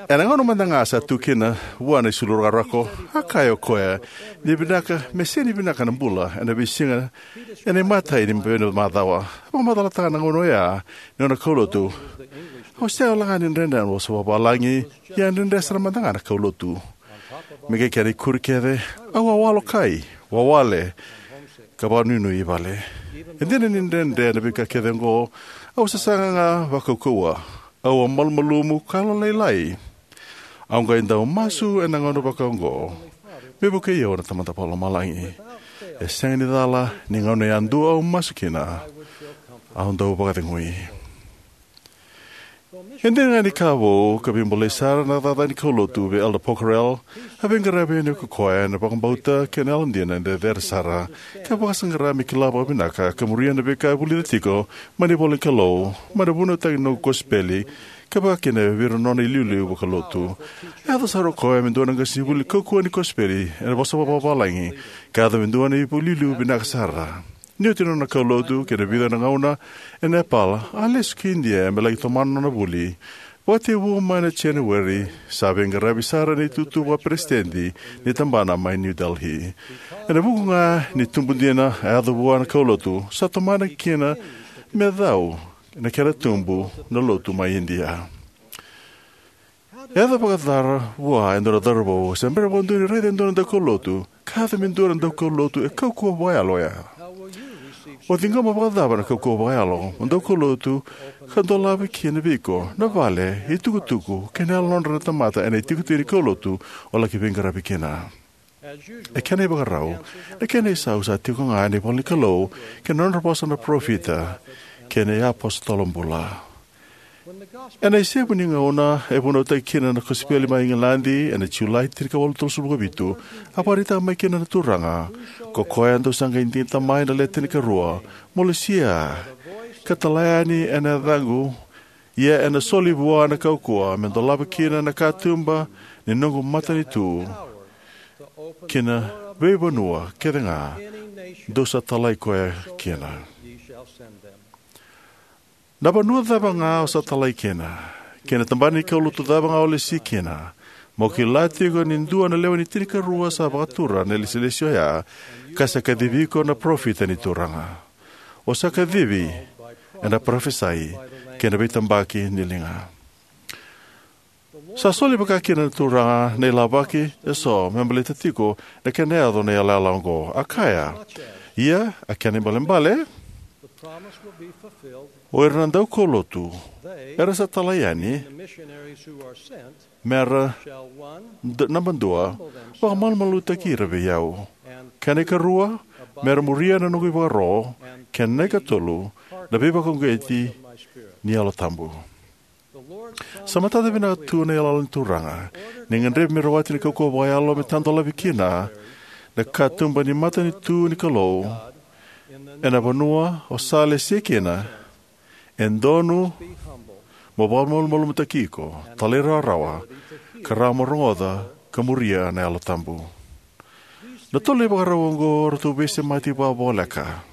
Ena gauna mada ga sa tu kina vua na isulu rakorako, a kaya o koya ni vinaka me sega ni vinaka na bula ena veisiga ena imatai ni bera ni macawa. A vakamacalataka na gauna oya ni nona kaulotu, au sega wale ga ni dredre na vosa vakavalagi, ia a dredre sara mada ga na kaulotu. Me qai kena ikuri kece, au a walokai, wawale, ka vakanuinui i vale. E dina ni dredre na veika kece oqo, au sasaga ga vakaukauwa. Au a malumalumu ka yalolailai. Au qai dau masu ena gauna vakaoqo, me vukei au na Tamada Vakalomalagi. E sega ni cala ni gauna yadua au masu kina, au dau vakacegui. E dina ga ni ka vou ka veibolei sara na cakacaka ni kaulotu vei Elder Pokhrel, a veiqaravi yani ko koya ena vakabauta kei na yalodina e cecere sara, ka vakasaqara me kila vakavinaka ka muria na veika e vulica tiko mai na ivola ni Kalou, mai na vunautaki ni noqu kosipeli, ka vakakina vei ira na nona iliuliu vakalotu. A yaco sara o koya me dua na qasenivuli kaukauwa ni kosipeli ena vosa vakavalagi, ka yaco me dua na iliuliu vinaka sara. Ni oti na nona kaulotu kei na vica na gauna e Nepal, a lesu ki Idia me laki tomana na nona vuli. Vakatekivu mai na January, sa veiqaravi sara ena itutu vakaperesitedi ni tabana mai New Delhi. Ena vuku ga ni tubu dina a yaco vua na kaulotu, sa tomana kina me cau na kena tubu na lotu mai Idia. E yaco vakaca vua e dua na cauravou, se bera vakadua ni raica e dua na daukaulotu, ka yaco me dua na daukaulotu e kaukauwa vakayalo oya. O ciqoma vakacava na kaukauwa vakayalo mo daukaulotu ka dolava kina vei iko na vale, itukutuku, kei na yalodra na tamata ena itikotiko ni kaulotu o laki veiqaravi kina? E kena ivakarau, na kena isau sa tiko ga ena ivola ni Kalou kei na nodra vosa na parofita kei na iapositolo bula. Ena isevu ni gauna e vunautaki kina na kosipeli mai Igiladi ena Julai tinikawalu tolusagavulu ka vitu, a vakaraitaka mai kina na Turaga: "Ko koya dou sa qai digita mai na Le Tinikarua, mo lesia ka tala yani ena yacaqu, ia ena soli vua na kaukauwa me dolava kina na katuba ni noqu matanitu ki na veivanua kece ga dou sa talai koya kina." Na vanua cava ga o sa talai kina, kei na tabana ni kaulotu cava ga o lesi kina, mo kila tiko ni dua na lewe ni tinikarua sa vakatura na ilesilesi oya, ka sa kacivi iko na parofita ni Turaga. O sa kacivi ena parofisai kei na veitabaki ni liga. Sa soli vaka kina na Turaga na ilavaki eso me baleta tiko na kena yaco na yalayala oqo. A kaya: "Ia, a kena ibalebale, o ira na daukaulotu era sa talai yani mera, d- naba dua, vakamalumalumutaki ira vei au. Kena ikarua, mera muria na noqu ivakaro. Kena ikatolu, na veivakauqeti ni Yalo Tabu." Sa matata vinaka tu na yalayala ni Turaga. Ni gadrevi me rawati na kaukauwa vakayalo me tadolavi kina na katuba ni matanitu ni Kalou ena vanua o sa lesi kina, e dodonu mo vakamalumalumutaki iko, talairawarawa, ka rawa mo rogoca ka muria na Yalo Tabu. Na tolu na ivakarau oqo ratou veisemati vakavoleka.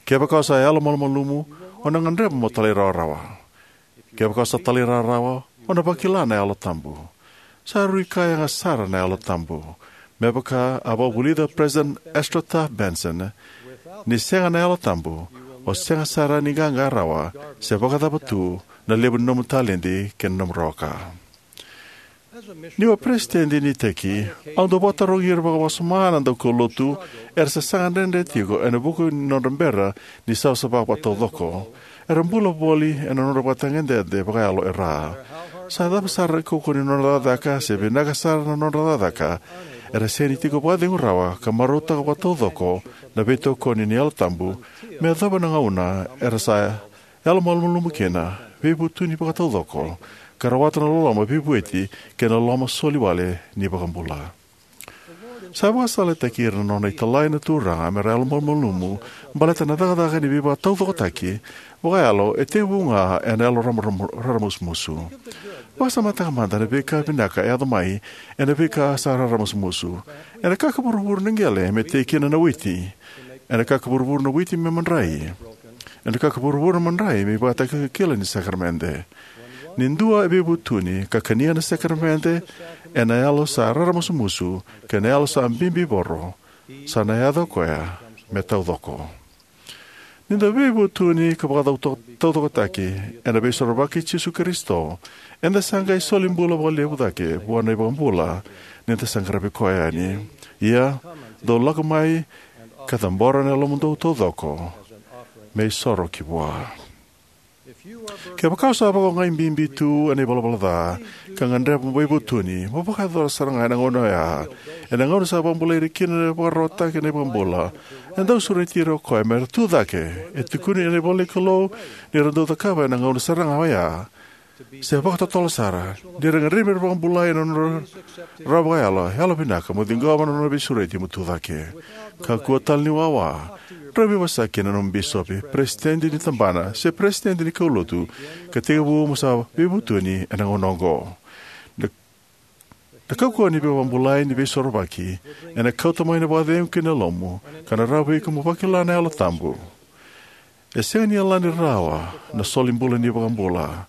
Kevaka o sa yalomalumalumu, o na gadreva mo talairawarawa. Kevaka o sa talairawarawa, o na vakila na Yalo Tabu. Sa rui ka yaga sara na Yalo Tabu. Me vaka a vakavulica o President Ezra Taft Benson, "Ni sega na Yalo Tabu, o sega sara ni qaqa rawa se vakacava tu na levu ni nomu taledi kei na nomu rawa ka." Niu a peresitedi ni iteki, au dau vakatarogi ira vakawasoma na daukaulotu era sasaga dredre tiko ena vuku ni nodra bera ni savasava vakataucoko. Era bula voli ena nodra ivakatagedegede vakayalo e ra. Se cava sara na kaukauwa ni nodra cakacaka, se vinaka sara na nodra cakacaka, era sega ni tiko vakacegu rawa ka marautaka vakataucoko na veitokoni ni Yalo Tabu me yacova na gauna era sa yalomalumalumu kina, veivutuni vakataucoko, ka rawata na loloma veivueti kei na loloma soli wale ni iVakabula. Sa vakasalataki ira na nona italai na Turaga mera yalomalumalumu baleta na cakacaka ni veivakataucokotaki vakayalo e tekivu ga ena yalo raramusumusu. Vakasamataka mada na veika vinaka e yaco mai ena veika sa raramusumusu. Ena kaka vuravura na qele me tei kina na witi. Ena kaka vuravura na witi me madrai. Ena kaka vuravura na madrai me ivakatakilakila ni sakaramede. Ni dua e veivutuni ka kania na sakaramede ena yalo sa raramusumusu kei na yalo sa bibivoro, sa na yaco o koya me taucoko. Ni da veivutuni ka vakataucokotaki ena Veisorovaki i Jisu Karisito, eda sa qai solibula vakalevu cake vua na iVakabula ni da sa qaravi koya yani. Ia, dou lako mai ka cabora na yalomudou taucoko me isoro ki vua. Kevaka o sa vakaogai bibi tu ena ivalavala ca ka gadreva mo veivutuni, mo vakayacora sara ga ena gauna oya. Ena gauna sa vakabulai ira kina na vakararawataki na iVakabula, e dau sureti ira o koya mera tu cake. E tukuni ena ivola ni Kalou ni ra dau cakava ena gauna sara ga oya, se vakatotolo sara, ni ra gadrevi mera vakabulai ena nodra rawa vakayalo, yalovinaka mo ciqoma na nona veisureti mo tu cake. Kakua tale ni wawa, drau veivosaki kei na nomu bisopi, peresitedi ni tabana, se peresitedi ni kaulotu ka tekivu mo sa veivutuni ena gauna oqo. Na, na kaukauwa ni veivakabulai ni Veisorovaki ena kauta mai na vakacegu ki na yalomu, ka na rawa vei iko mo vakila na Yalo Tabu. E sega ni yalani rawa na solibula ni iVakabula,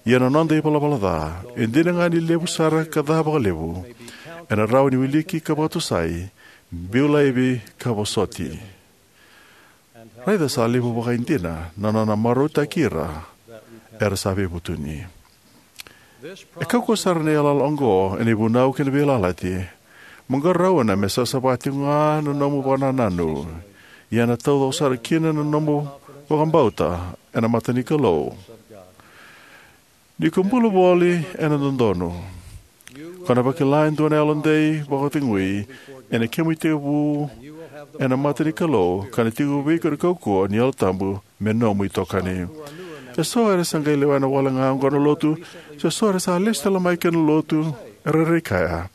ia na noda ivalavala ca, e dina ga ni levu sara ka ca vakalevu, ena rawa ni wiliki ka vakatusai, biu laivi ka vosoti. Raica sa levu vakaidina na nona marautaki ira era sa veivutuni. E kaukauwa sara na yalayala oqo ena ivunau kei na veiyalayalati. Mo qarauna me savasava tiko ga na nomu vakanananu, ia na taucoko sara kina na nomu vakabauta ena mata ni Kalou. Ni ko bula voli ena dodonu, ko na vakila e dua na yalodei vakacegui ena kemu itekivu ena mata ni Kalou, ka na tiko vei iko na kaukauwa ni Yalo Tabu me nomu itokani. E so era sa qai lewena wale ga oqo na lotu, se so era sa lesu tale mai ki na lotu, era rairai kaya,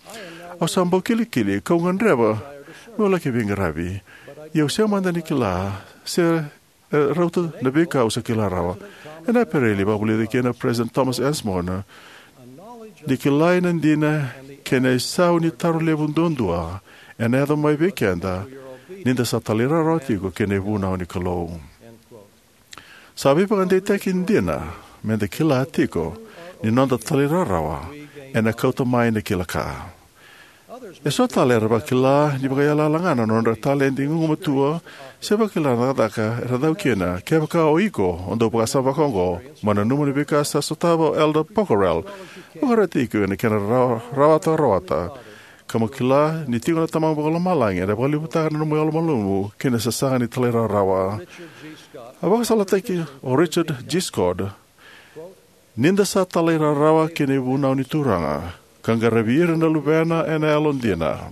"Au sa bau kilikili, kau gadreva meu laki veiqaravi. Ia au sega mada ni kila se e rauta na veika au sa kila rawa." Ena Epereli, vakavulica kina o President Thomas S. Monson, ni kilai na dina kei na isau ni taro levu duadua ena yaco mai vei keda ni da sa talairawarawa tiko ki na ivunau ni Kalou. Sa veivakadeitaki dina meda kila tiko ni noda talairawarawa ena kauta mai na kila ka. E so tale era vakila ni vakaiyalayala ga na nodra taledi gugumatua se vakila na cakacaka era cau kina. Kevaka o iko o dau vakasama vakaoqo, mo nanuma na veika sa sotava o Elder Pokhrel. Vakaroti iko ena kena rawa-, rawata, rawata. Ka mo kila ni tiko na Tamamu Vakalomalagi ena vakalevutaka na nomu yalomalumalumu ki na sasaga ni talairawarawa. A vakasalataki o Richard G. Scott, "Ni da sa talairawarawa ki na ivunau ni Turaga, ka qaravi ira na luvena ena yalodina,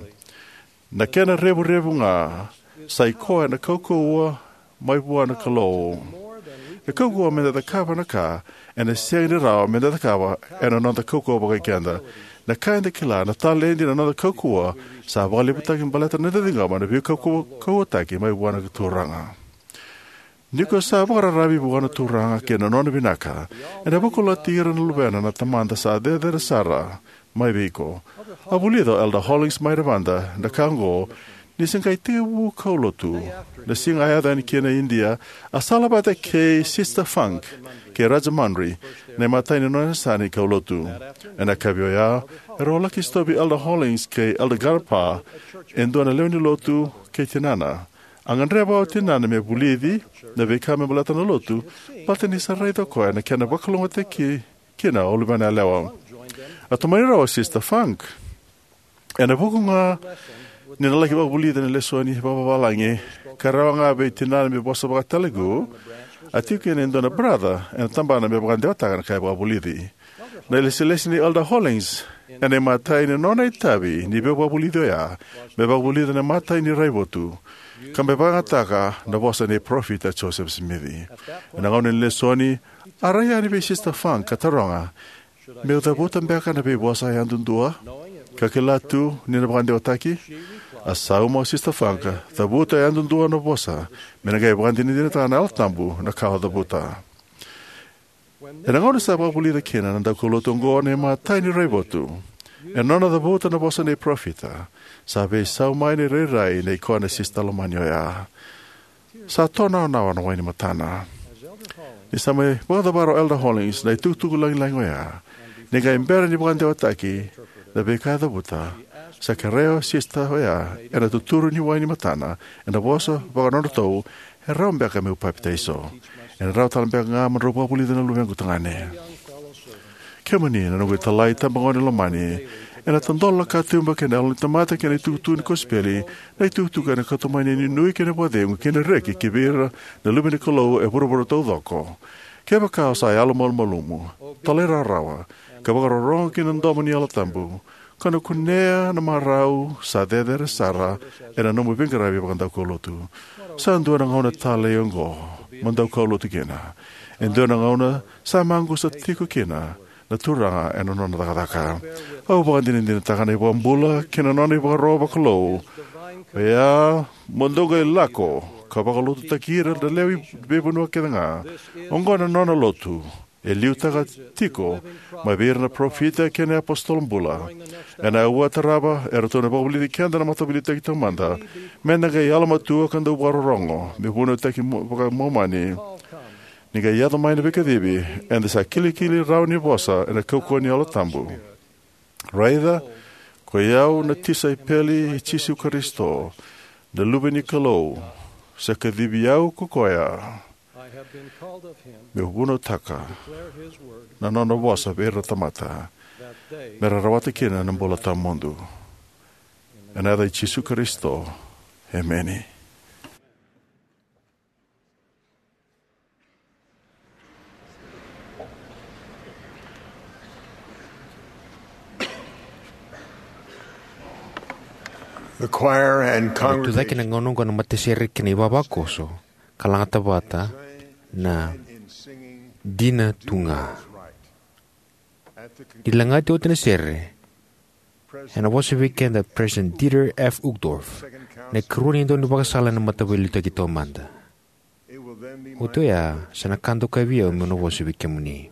na kena revurevu ga sa i koya na kaukauwa mai vua na Kalou." E kaukauwa meda cakava na ka ena sega ni rawa meda cakava ena noda kaukauwa vakai keda. Na ka eda kila, na taledi, na noda kaukauwa sa vakalevutaki baleta na noda ciqoma na veikaukauwataki mai vua na Turaga. Ni ko sa vakararavi vua na Turaga kei na nona vinaka, ena vakalougatataki ira na luvena na Tamada sa cecere sara mai vei iko. A vulica o Elder Hollings mai Nevada na ka oqo ni se qai tekivu kaulotu. Na siga a yaco yani kina i Idia, a sala vata kei Sister Funk kei Rajamundry na imatai ni nona yasana ni kaulotu. Ena yakavi oya, erau laki sotavi Elder Hollings kei Elder Grandpa, e dua na lewe ni lotu, kei tinana. A gadreva o tinana me vulici na veika me baleta na lotu, baleta ni sa raica o koya na kena vakalougatataki kina o luvena yalewa. A tomani rawa o Sister Funk. Ena vuku ga ni na laki vakavulici na lesoni vakavavalagi, ka rawa ga vei tinana me vosa vaka-Telugu, a tiko kina e dua na brother ena tabana me vakadewataka na ka e vakavulici. Na ilesilesi nei Elder Hollings ena imatai ni nona itavi ni veivakavulici oya me vakavulica na imatai ni raivotu, ka me vakayagataka na vosa nei Parofita Joseph Smith. Ena gauna ni lesoni, a rai yani vei Sister Funk ka taroga, "Meu cavuta beka na veivosa yadudua, ka kila tu ni na vakadewataki?" A sauma o Sister Funk, "Cavuta yadudua na vosa, me na qai vakadinadinataka na Yalo Tabu na ka o cavuta." Ena gauna sa vakavulica kina na daukaulotu oqo na imatai ni raivotu, ena nona cavuta na vosa nei Parofita, sa veisau mai na irairai nei koya na sista lomani oya. Sa tonawanawa na wai ni matana. Ni sa mai vakacavara o Elder Hollings na itukutuku lagilagi oya, ni qai bera ni vakadewataki na veika e cavuta, sa kerea o sista oya ena tuturu ni wai ni matana ena vosa vaka-nodratou, "E rawa beka meu papitaiso? Ena rawa tale beka ga mo drau vakavulica na luvequ tagane?" Kemuni na noqu italai tabagone lomani, ena tadola na katuba kei na yalo ni tamata kei na itukutuku ni kosipeli, na itukutuku ena kauta mai na inuinui kei na vakacegu kei na reki ki vei ira na luve ni Kalou e vuravura taucoko. Kevaka o sa yalomalumalumu, talairawarawa, ka vakarorogo ki na domo ni Yalo Tabu, ka na kunea na marau sa cecere sara ena nomu veiqaravi vakadaukaulotu. Sa dua na gauna talei oqo mo daukaulotu kina. E dua na gauna sa maqusa tiko kina na Turaga ena nona cakacaka. Au vakadinadinataka na iVakabula kei na nona ivakaro vakalou. Oya, mo dou qai lako ka vakalotutaki ira na lewe i veivanua kece ga. Oqo na nona lotu e liutaka tiko mai vei ira na parofita kei na iapositolo bula. Ena aua tarava, eratou na vakavulici keda na Mataveiliutaki Taumada me da qai yalomatua ka dau vakarorogo, me vunautaki mo-, vakaMomani. Ni qai yaco mai na veikacivi, eda sa kilikili rawa ni vosa ena kaukauwa ni Yalo Tabu. Raica, koi au na tisaipeli i Jisu Karisito, na Luve ni Kalou, sa kacivi au ko koya, meu vunautaka na nona vosa vei ira na tamata, me ra rawata kina na bula tawamudu. Ena yaca i Jisu Karisito, emeni. The choir and congregation. Tucake na gauna oqo na matasere kei na ivavakoso, ka lagata vata na Dina tu ga. Ni lagati oti na sere, ena vosa vei keda President Dieter F. Uchtdorf, na ikarua ni daunivakasala ena Mataveiliutaki Taumada. Oti oya, sa na ka dokai vei au meu na vosa vei kemuni.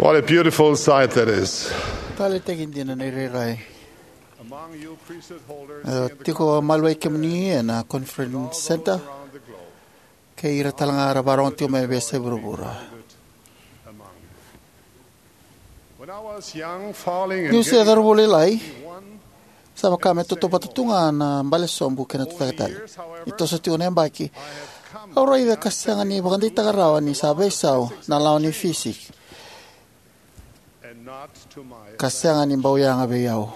What a beautiful sight that is. Taleitaki dina na irairai. Among you priesthood holders, e, tiko maliwai kemuni ena Conference Center, kei ira tale ga era vakarorogo tiko mai veiyasai vuravura. When I was young, falling in, niu se cauravou lailai, sa vaka me tautauvata tu ga na bale sobu kei na tucake tale. Ni toso tiko na yabaki, au raica ka sega ni vakadeitaka rawa ni sa veisau na lawa ni fisiki, ka sega ni bau yaga vei au.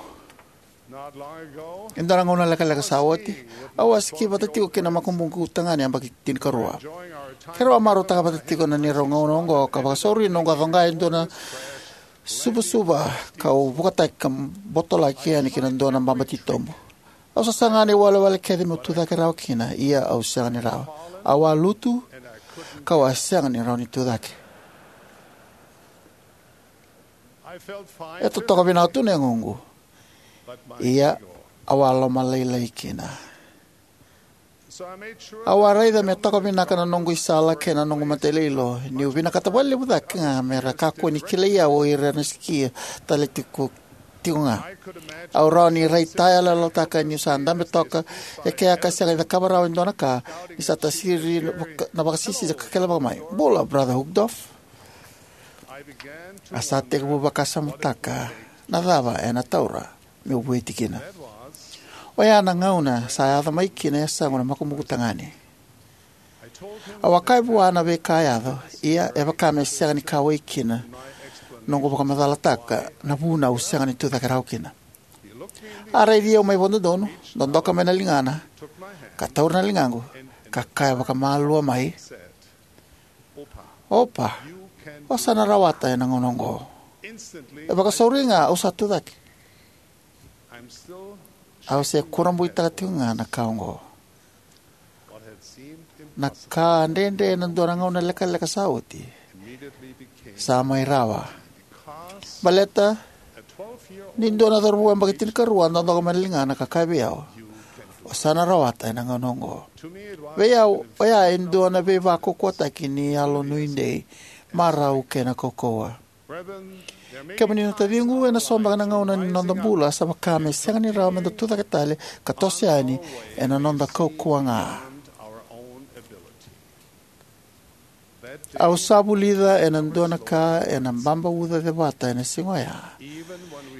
E dua na gauna lekaleka sa oti, au a siki vata tiko kei na makubuqu tagane yabaki tinikarua. Keirau a marautaka vata tiko na neirau gauna oqo ka vakasauri noqu a coqa e dua na suvasuva, kau vukataki ka botolaki yani ki na dua na baba titobu. Au sasaga na iwalewale kece meu tucake rawa kina, ia au sega ni rawa. Au a lutu, kau a sega ni rawa ni tucake. E totoka vinaka tu na yagoqu, ia au a lomalailai kina. Au a raica me toka vinaka na noqu isala kei na noqu matailoilo, niu vinakata vakalevu cake ga me ra kakua ni kilai au o ira na sikia tale tiko, tiko ga. Au rawa ni raitayaloyalotaka niu sa dabe toka e kea ka sega ni cakava rawa e dua na ka, ni sa tasiri na vaka-, na vakasisisi ka kele vaka mai, "Bula, Brother Uchtdorf." A sa tekivu vakasamataka na cava ena taura meu vueti kina. Oya na gauna sa yaco mai kina e yasaqu na makubuqu tagane. Au a kaya vua na veika a yaco, ia e vaka me sega ni kauwai kina noqu vakamacalataka na vuna au sega ni tucake rawa kina. A raici au mai vakadodonu, dodoka mai na ligana, ka taura na ligaqu, ka kaya vakamalua mai, "Opa, o sa na rawata ena gauna oqo." E vakasauri ga au sa tucake. Au se kurabuitaka tiko ga na ka oqo. Na ka dredre ena dua na gauna lekaleka sa oti sa mai rawa. Baleta ni dua na cauravou yabaki tinikarua a dodoka mai na ligana ka kaya vei au, "O sa na rawata ena gauna oqo." Vei au, oya e dua na veivakaukauwataki ni yalo nuidei, marau kei na kaukauwa. Kemuni na taciqu, ena so beka na gauna ni noda bula sa vaka me sega ni rawa meda tucake tale ka toso yani ena noda kaukauwa ga. Au sa vulica ena dua na ka ena baba uca cevata ena siga oya.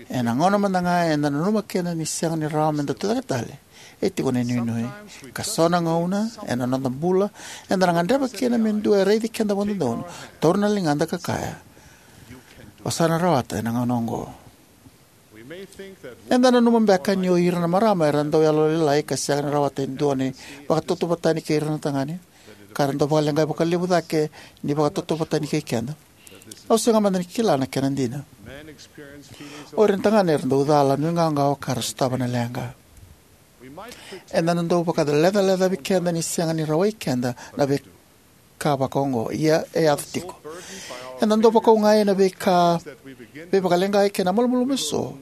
Ena gauna mada ga eda nanuma kina ni sega ni rawa meda tucake tale, e tiko na inuinui. Ka so na gauna ena noda bula, eda na gadreva kina me dua e raici keda vakadodonu, taura na ligada ka kaya, "O sa na rawata ena gauna oqo." Eda nanuma beka ni o ira na marama era dau yalolailai ka sega ni rawata e dua na ivakatautauvatani kei ira na tagane, ka ra dau vakaleqai vakalevu cake ni vakatautauvatani kei keda. Au sega mada ni kila na kena dina. O ira na tagane era dau cala, nuiqawaqawa ka ra sotava na leqa. Eda na dau vakalecalecavi keda ni sega ni rawai keda na veika vaka oqo, ia e yaco tiko. Eda dau vakauqai ena veika veivakaleqai kei na malumalumu eso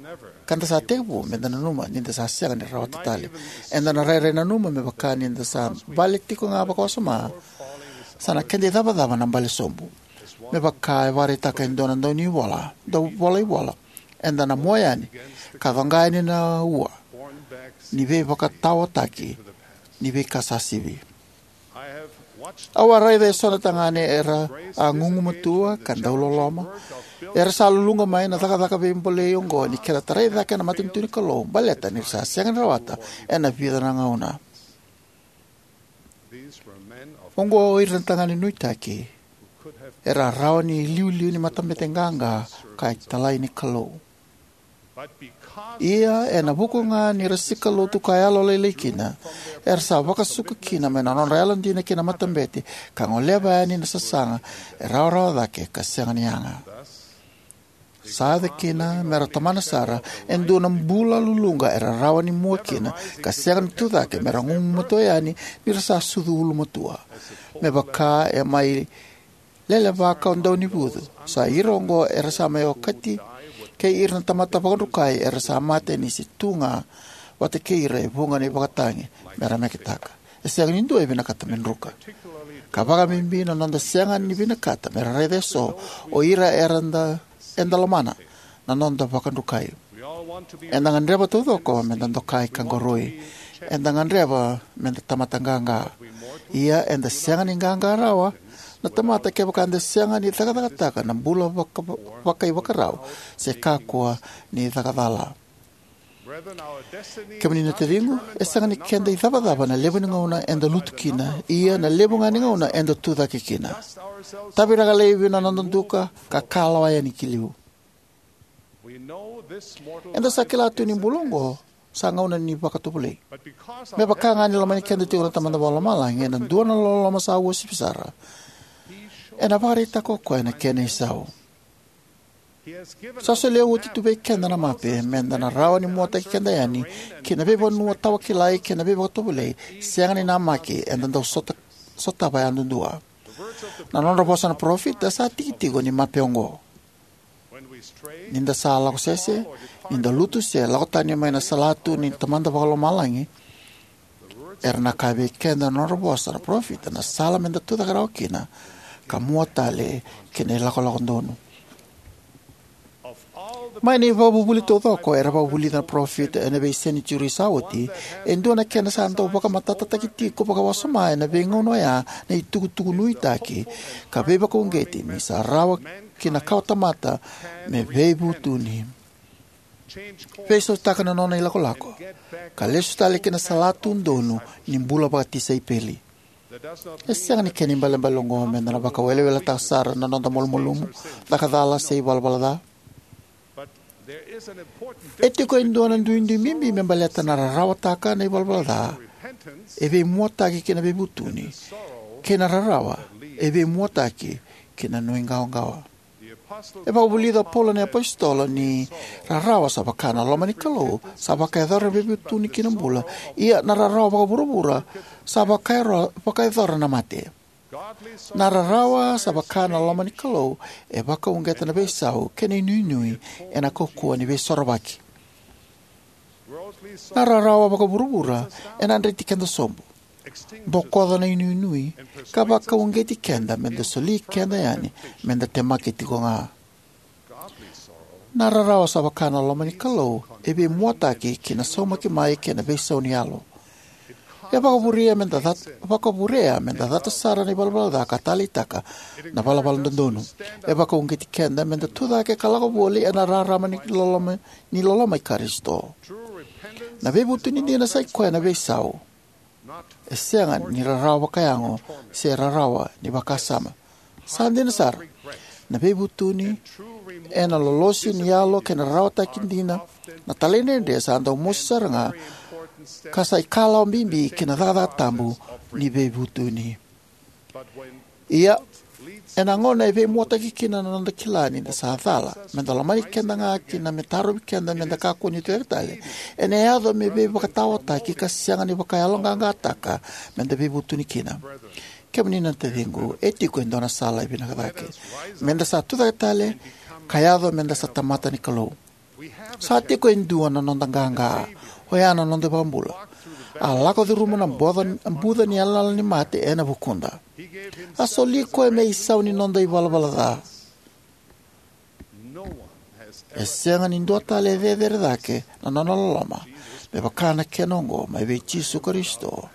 ka da sa tekivu meda nanuma ni da sa sega ni rawata tale. Eda na rairai nanuma me vaka ni da sa bale tiko ga vakawasoma, sa na keda icavacava na bale sobu. Me vaka e vakaraitaka e dua na daunivola, dauvolaivola, eda na mua yani ka coqa yani na ua ni veivakataotaki ni veika sa sivi. Au a raica eso na tagane era a gugumatua ka dauloloma, era sa luluqa mai na cakacaka veibolei oqo ni kena tarai cake na matanitu ni Kalou, baleta ni ra sa sega ni rawata ena vica na gauna. Oqo o ira na tagane nuitaki era rawa ni iliuliu ni matabete qaqa ka italai ni Kalou. Ia ena vuku ga ni ra sika lotu ka yalolailai kina, era sa vakasuka kina mai na nodra yalodina ki na matabete ka goleva yani na sasaga e rawarawa cake ka sega ni yaga. Sa yaco kina me ra tomana sara e dua na bula luluqa era rawa ni mua kina ka sega ni tucake me ra gugumatua yani ni ra sa sucu ulumatua. Me vaka e mai lelevaka o daunivucu, sa ira oqo era sa mai okati kei ira na tamata vakadrukai era sa mate ni se tu ga vata kei ira e vuqa na ivakatagi me ra meketaka. E sega ni dua e vinakata me druka. Ka vakabibi na noda sega ni vinakata me ra raica eso o ira era da, eda lomana, na noda vakadrukai. Eda gadreva taucoko meda dokai ka qoroi. Eda gadreva meda tamata qaqa. Ia eda sega ni qaqa rawa na tamata kevaka eda sega ni cakacakataka na bula vaka, vakaivakarau se kakua ni cakacala. Kemuni na taciqu, e sega ni keda icavacava na levu ni gauna eda lutu kina, ia na levu ga ni gauna eda tucake kina. Taviraka laivi na noda duka ka kalawa yani ki liu. Eda sa kila tu ni bula oqo sa gauna ni vakatovolei. Me vaka ga ni lomani keda tiko na Tamada Vakalomalagi ena dua na loloma sa uasivi sara, ena vakaraitaka o koya na kena isau. Sa solia oti tu vei keda na mape meda na rawa ni muataki keda yani ki na veivanua tawakilai kei na veivakatovolei sega ni namaki eda dau sota, sotava yadudua. Na nodra vosa na parofita sa tiki tiko ni mape oqo. Ni da sa lako sese, ni da lutu se lako tani mai na salatu ni Tamada Vakalomalagi, Era na kaya vei keda na nodra vosa na parofita na sala meda tucake rawa kina, ka mua tale ki na ilakolako donu. Mai na ivakavuvuli taucoko era vakavulica na parofita ena veisenitiuri sa oti, e dua na kena sa dau vakamatatataki tiko vakawasoma ena veigauna oya na itukutuku nuitaki ka veivakauqeti ni sa rawa ki na kawatamata me veivutuni, veisautaka na nona ilakolako, ka lesu tale ki na salatu donu ni bula vakatisaipeli. E sega ni kena ibalebale oqo meda na vakaweleweletaka sara na noda malumalumu, caka cala, se ivalavala ca. E tiko e dua na duidui bibi me baleta na rarawataka na ivalavala ca e veimuataki ki na veivutuni, kei na rarawa e veimuataki ki na nuiqawaqawa. E vakavulica o Paula na iApositolo ni rarawa sa vaka na loma ni Kalou sa vakayacora na veivutuni ki na bula, ia na rarawa vakavuravura sa vakayaro-, vakayacora na mate. Na rarawa sa vaka na loma ni Kalou e vakauqeta na veisau kei na inuinui ena kaukauwa ni veisorovaki. Na rarawa vakavuravura ena dreti keda sobu, bokoca na inuinui, ka vakauqeti keda meda soli keda yani meda temaki tiko ga. Na rarawa sa vaka na loma ni Kalou e veimuataki ki na saumaki mai kei na veisau ni yalo. E vakavurea meda cat-, vakavurea meda cata sara na ivalavala ca ka taleitaka na valavala dodonu. E vakauqeti keda meda tucake ka lako voli ena rarama ni loloma, ni loloma i Karisito. Na veivutuni dina sa i koya na veisau. E sega ni rarawa vakayago se rarawa ni vakasama. Sa dina sara, na veivutuni ena lolosi ni yalo kei na rarawataki dina, na talaidredre sa dau mosi sara ga, ka sa ikalawa bibi ki na cakacaka tabu ni veivutuni. Ia, ena gauna e veimuataki kina na noda kila ni da sa cala meda lomani keda ga kina, me tarovi keda meda kakua ni tucake tale, ena yaco me veivakataotaki ka sega ni vakayaloqaqataka meda veivutuni kina. Kemuni na taciqu, e tiko e dua na sala e vinaka cake. Meda sa tucake tale ka yaco meda sa tamata ni Kalou. Sa tiko e dua na noda qaqa, oya na noda iVakabula. A lako curuma na boca, buca ni yalayala ni mate ena vukuda. A soli koya me isau ni noda ivalavala ca. E sega ni dua tale e cecere cake na nona loloma me vaka na kena oqo mai vei Jisu Karisito,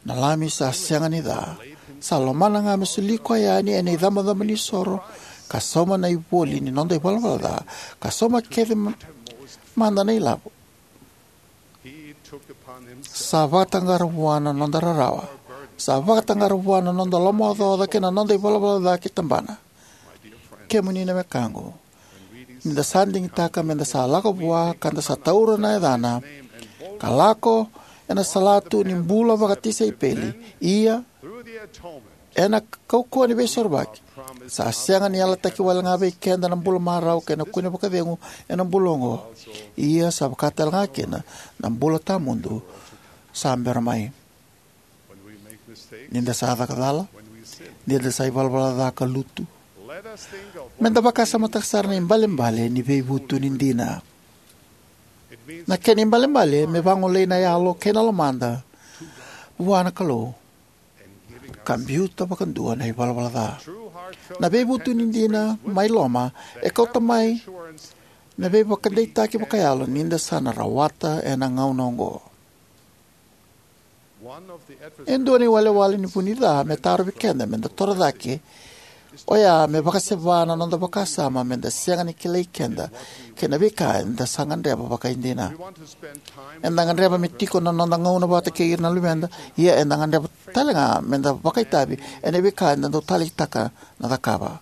na Lami sa sega ni ca. Sa lomana ga me soli koya yani ena icabocabo ni soro, ka sauma na ivoli ni noda ivalavala ca, ka sauma kece ma-, mada na ilavo. Sa vakataqara vua na noda rarawa. Sa vakataqara vua na noda lomaocaoca kei na noda ivalavala ca ki tabana. Kemuni na wekaqu, ni da sa digitaka meda sa lako vua ka da sa taura na yacana, ka lako ena salatu ni bula vakatisaipeli, ia ena kaukauwa ni veisorovaki, sa sega ni yalataki wale ga vei keda na bula marau kei na kune vakacegu ena bula oqo. Ia sa vaka tale ga kina na bula tawamudu sa bera mai. Ni da sa caka cala, ni da sa ivalavala ca ka lutu, meda vakasamataka sara na ibalebale ni veivutuni dina. Na kena ibalebale me vagolei na yalo kei na lomada vua na Kalou, ka biuta vakadua na ivalavala ca. Na veivutuni dina mai loma e kauta mai na veivakadeitaki vakayalo ni da sa na rawata ena gauna oqo. E dua na iwalewale ni vu ni ca me tarovi keda meda toro cake, oya me vakaseva na noda vakasama meda sega ni kilai keda kei na veika eda sa gadreva vakaidina. Eda gadreva me tiko na noda gauna vata kei ira na luveda, ia eda gadreva tale ga meda vakaitavi ena veika eda dau taleitaka na cakava.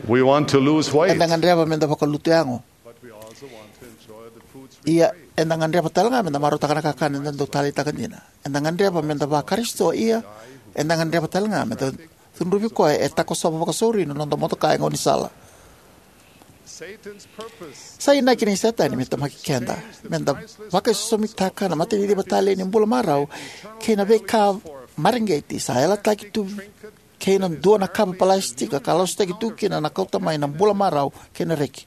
We want to lose weight. Eda gadreva meda vakalutu yago. Ia, eda gadreva tale ga meda marautaka na kakana eda dau taleitaka dina. Eda gadreva meda vaKarisito, ia eda gadreva tale ga meda cudruvi koya e takosova vakasauri na noda motoka e gaunisala. Sa inaki nei Setani me temaki keda meda vakaisosomitaka na mataniciva talei ni bula marau kei na veika mareqeti sa yalataki tu kei na dua na kava palasitika ka lasutaki tu kina na kauta mai na bula marau kei na reki.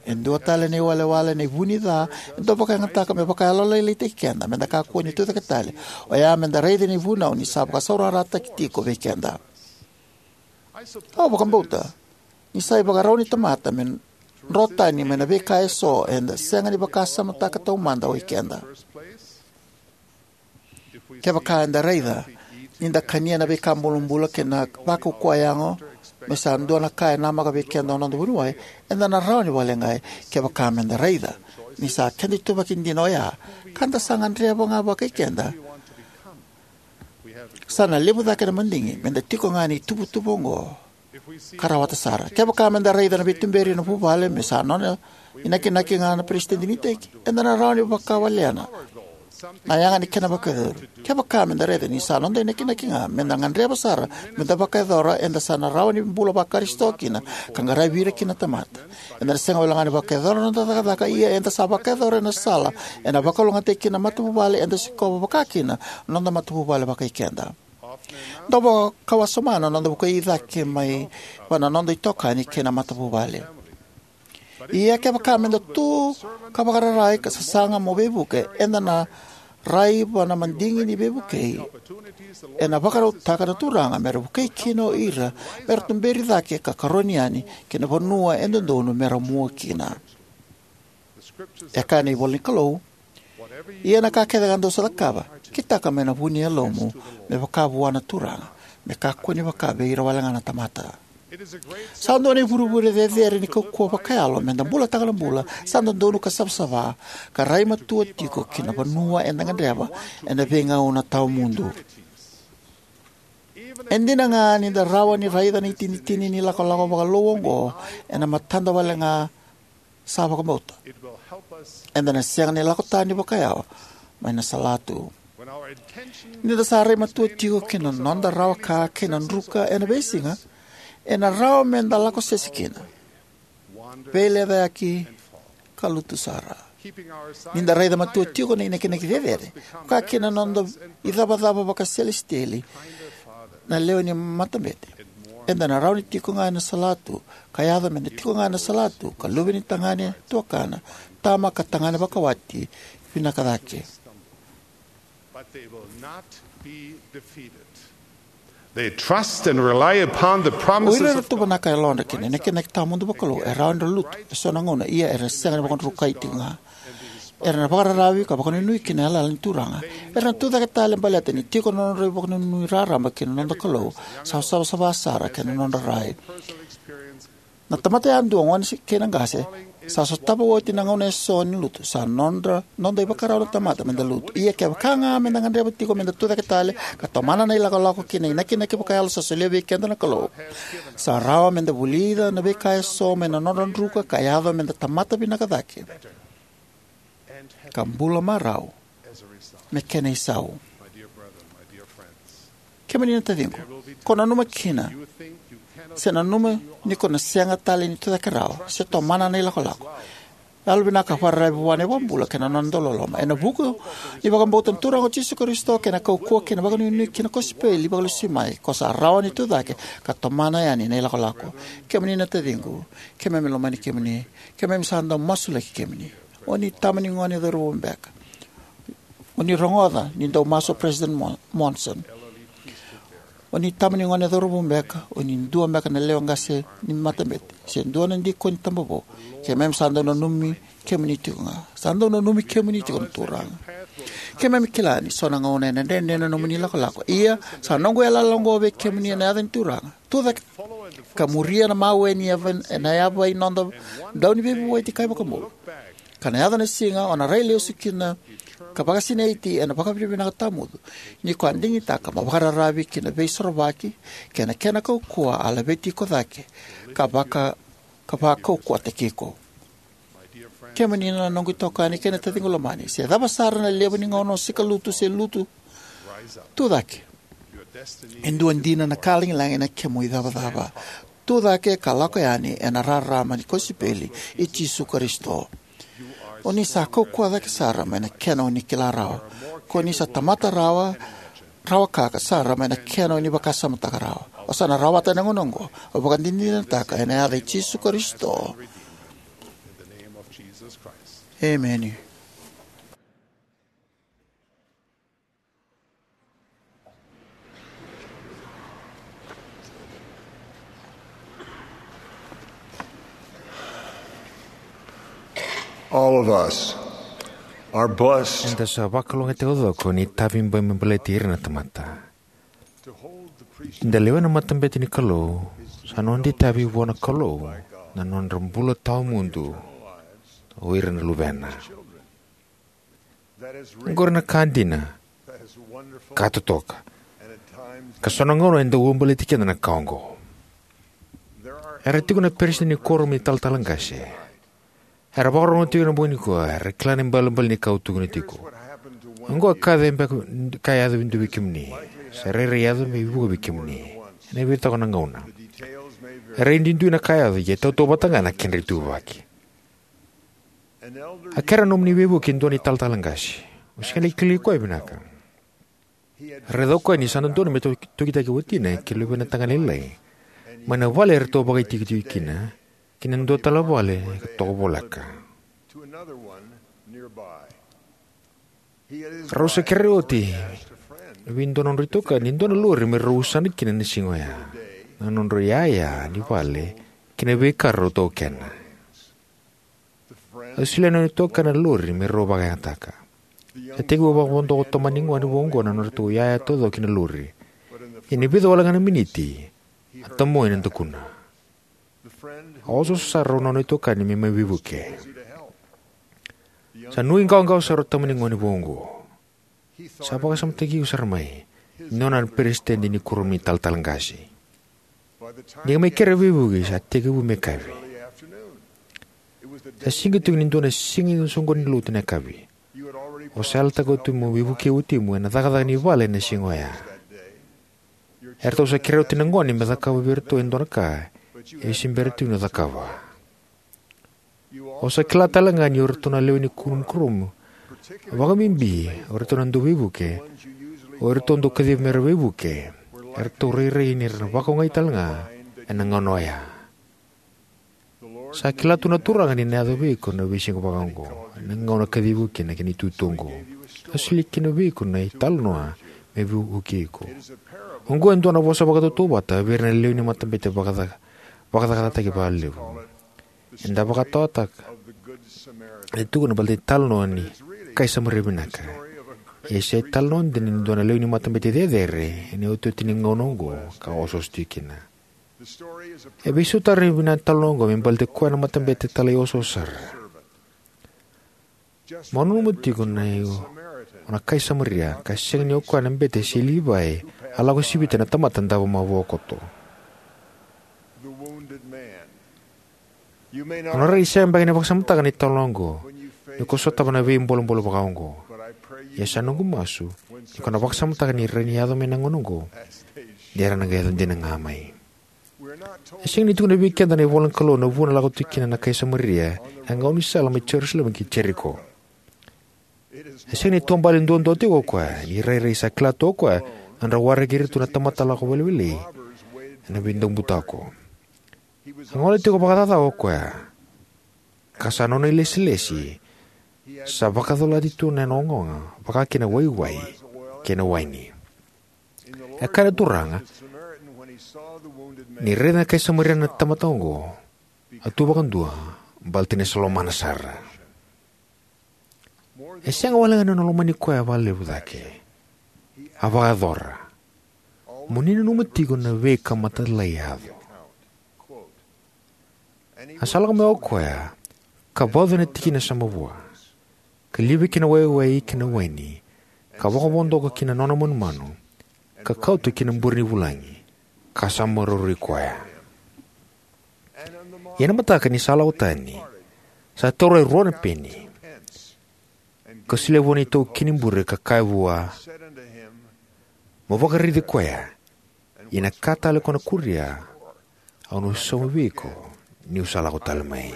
E dua tale na iwalewale, na ivunica e dau vakayagataka me vakayalolailaitaki keda meda kakua ni tucake tale, oya meda raica na ivunau ni sa vakasaurarataki tiko vei keda. Au vakabauta ni sa ivakarau ni tamata me dro tani mai na veika eso eda sega ni vakasamataka taumada o ikeda. Kevaka eda raica ni da kania na veika bulabula kei na vakaukauwa yago me sa dua na ka e namaka vei keda o noda vuniwai, eda na rawa ni vakaleqai. Kevaka meda raica ni sa keda ituvaki dina oya ka da sa gadreva ga vakai keda, sa na levu cake na madigi meda tiko ga ena ituvatuva oqo ka rawata sara. Kevaka meda raica na veituberi ena vuvale me sa nona inakinaki ga na peresitedi ni iteki, eda na rawa ni vakawalena na yaga ni kena vakayacori. Kevaka meda raica ni sa noda inakinaki ga meda gadreva sara meda vakayacora, eda sa na rawa ni bula vaKarisito kina ka qaravi ira kina na tamata. Eda na sega walega ni vakayacora na noda cakacaka, ia eda sa vakayacora ena sala ena vakalougatataki kina na matavuvale eda sikova, vaka kina na noda matavuvale vakai keda. Dau vakawasoma na noda vukei cake mai vua na noda itokani kei na matavuvale. Ia kevaka meda tu ka vakararai ka sasaga mo veivuke, eda na rai vua na madigi ni veivukei ena vakarautaka na Turaga mera vukei kina o ira mera tuberi cake ka karoni yani ki na vanua e dodonu mera mua kina. E kaya na ivolanikalou: Ia na ka kecega dou sa cakava, kitaka mai na vu ni yalomu, me vaka vua na Turaga, me kakua ni vaka vei ira walega na tamata. Sa dua na ivurevure cecere ni kaukauwa vakayalo meda bulataka na bula sa dodonu ka savasava, ka rai matua tiko ki na vanua eda gadreva ena veigauna tawamudu. E dina ga ni da rawa ni raica na itinitini ni ilakolako vakalou oqo ena matada walega sa vakabauta, eda na sega ni lako tani vakayawa mai na salatu. Ni da sa rai matua tiko ki na noda rawa-ka kei na druka ena veisiga, ena rawa meda lako sese kina, veilecayaki, ka lutu sara. Ni da raica matua tiko na inakinaki cecere, vaka kina na noda icavacava vakaselesitieli, na lewe ni matabete, eda na rawa ni tiko ga ena salatu, ka yaco meda tiko ga ena salatu ka luve ni tagane, tuakana, tama ka tagane vakawati vinaka cake. But they will not be defeated. They trust and rely upon the O promises ira era of tuvanaka e yalodra kina inakinaki tawamudu vakalou e rawa ni ra lutu eso na gauna, ia era sega ni vakadrukai tiko ga. Era na vakararavi ka vakanuinui ki na yalayala ni Turaga. Era na tucake tale baleta ni tiko na nodra ivakanuinui raraba ki na noda Kalou, sa savasava sara kei na nodra rai. Na tamata yadua, gone kei na qase, sa sotava oti na gauna eso ni lutu. Sa nodra, noda ivakarau na tamata meda lutu. Ia kevaka ga meda gadreva tiko meda tucake tale ka tomana na ilakolako kei na inakinaki vakayalo sa solia vei keda na Kalou, sa rawa meda vulica na veika eso mai na nodra druka ka yaco meda tamata vinaka cake ka bula marau me kena isau. Kemuni na taciqu, ko nanuma kina, se nanuma ni ko na sega tale ni tucake rawa se tomana na ilakolako. Yalovinaka ka vakararavi vua na iVakabula kei na nona dauloloma. Ena vuku ni vakabauta na Turaga o Jisu Karisito kei na kaukauwa kei na vakanuinui ki na kosipeli vakalesui mai, ko sa rawa ni tucake ka tomana yani na ilakolako. Kemuni na taciqu, keimami lomani kemuni. Keimami sa dau masulaki kemuni. O ni tama ni gone cauravou beka. O ni rogoca ni dau masu o President Mon-, Monson. O ni tama ni gone cauravou beka, o ni dua beka na lewe qase ni matabete, se dua na dikoni tabavou. Keimami sa dau nanumi kemuni tiko ga. Sa dau nanumi kemuni tiko na Turaga. Keimami kila ni so na gauna ena dredre na nomuni lakolako. Ia, sa noqu yalayala oqo vei kemuni ena yaca ni Turaga. Tucake ka muria na mawe ni yava, na yava ni noda Dauniveivueti ka iVakabula. Ka na yaco na siga o na rai lesu kina ka vakasinaiti ena vakavinavinaka tawamudu ni ko a digitaka mo vakararavi ki na Veisorovaki kei na kena kaukauwa a laveti iko cake ka vaka, ka vakaukauwataki iko. Kemuni na noqu itokani kei na taciqu lomani, se cava sara na levu ni gauna o sikalutu se lutu, tucake. E dua dina na ka lagilagi na kemu icavacava. Tucake ka lako yani ena rarama ni kosipeli i Jisu Karisito. O ni sa kaukauwa cake sara mai na kena o ni kila rawa. Ko ni sa tamata rawa, rawa ka sara mai na kena o ni vakasamataka rawa. O sa na rawata ena gauna oqo. Au vakadinadinataka ena yaca i Jisu Karisito. Emeni. All of us are blessed. Eda sa vakalougatataki taucoko ni tavi bai me baleti ira na tamata. Da lewena na matabete ni Kalou, sa noda itavi vua na Kalou na nodra bula tawamudu o ira na luvena. Oqori na ka dina, ka totoka, ka so na gauna e dau baleti keda na ka oqo. Era tiko na peresitedi ni kuoramu ni talatala qase. Era vakarorogo tiko ena bogi nikua, era kila na ibalebale ni ka au tukuna tiko. Oqo e ka yaco beka, ka yaco vei dua vei kemuni. Sa rairai yaco me vuqa vei kemuni ena veitoko na gauna. E rairai duidui na ka yaco, ia e tautauvata ga na kedra ituvaki. A kere na nomuni veivuke e dua na italatala qase. O sega ni kilai koya vinaka. Raica o koya ni sa dodonu me tau-, tokitaki watina kei luvena tagane lailai mai na vale eratou vakaitikotiko kina, ki na dua tale na vale ka toka voleka. Rau sa kerei oti vei dua na nodrau itokani e dua na lori me rau usana kina na siga oya, na nodrau iyaya ni vale kei na veika rau taukena. A solia na nona itokani na lori me rau vakayagataka. Sa tekivu vakavodoka o tomani gone vou oqo na nodratou iyaya taucoko ki na lori. Ia ni vica wale ga na miniti, a tamoi na dakuna. A osooso sara o nona itokani me mai veivuke. Sa nuiqawaqawa sara o tomani gone vou oqo. Sa vakasamataki iko sara mai ni o na peresitedi ni kuoramu ni talatala qase. Ni ka mai kere veivuke sa tekivu me yakavi. Sa siga tiko ni dua na siga ni soqoni ni lotu ena yakavi. O sa yalataka oti mo veivukei watimu ena cakacaka ni vale ena siga oya. Eratou sa kerei oti na gone me cakava vei iratou e dua na ka e se bera tiko ni cakava. O sa kila tale ga ni o iratou na lewe ni kuoramu, vakabibi o iratou na dauveivuke, o iratou dau kacivi mera veivuke, eratou rairai ni ra na vakaogai tale ga ena gauna oya. Sa kila tu na Turaga ni na yaco vei iko na veisiga vakaoqo, na gauna kacivi iko kina ki na itutu oqo. A solia kina vei iko na italanoa me veivukei iko. Oqo e dua na vosa vakatautauvata vei ira na lewe ni matabete vakaca-, vakacakacakataki vakalevu. Eda vakataotaka e tukuna baleta na italanoa ni kai Samaria vinaka. Ia e se italanoa dina ni dua na lewe ni matabete cecere ena iotioti ni gauna oqo ka osooso tiko kina. E veisautaka vinaka na italanoa oqo me baleti koya na matabete talai osooso sara. Mo nanuma tiko ni o na kai Samaria, ka sega ni o koya na bete se Livai a lako sivita na tamata davo mavoa koto. O na rairai sega beka ni vakasamataka na italanoa oqo ni ko sotava na veibolebole vakaoqo. Ia sa noqu masu ni ko na vakasamataka ni rawa ni yaco mai na gauna oqo, ni ra na qai yaco dina ga mai. E sega ni tukuna vei keda na ivola ni Kalou na vanua e lako tiko kina na kai Samaria ena gaunisala mai Jerusalemi ki Jeriko. E sega ni taubale duadua tiko o koya, ni rairai sa kila tu o koya na nodra waraki iratou na tamata lako welewele ena veidaubutako. A gole tiko vakacakacaka o koya, ka sa nona ilesilesi sa vakacolati tu na nona ogaoga vaka kina waiwai kei na waini. E kaya na Turaga, ni raica na kai Samaria na tamata oqo, a tu vakadua baleta ni sa lomana sara. E sega wale ga ni nona lomani koya vakalevu cake, a vakayacora. Mo ni nanuma tiko na veika mata lai yaco. A sa lako mai o koya ka vauca na tikina sa mavoa, ka livia kina waiwai kei na waini, ka vakavodoka kina nona manumanu, ka kauta kina bure ni vulagi, ka sa maroroi koya. Ia ena mataka ni sa lako tani, sa taura e rua na peni, ka solia vua na itaukei ni bure ka kaya vua, mo vakaraici koya, ia na ka tale ko na kuria, au na sauma vei iko niu sa lako tale mai.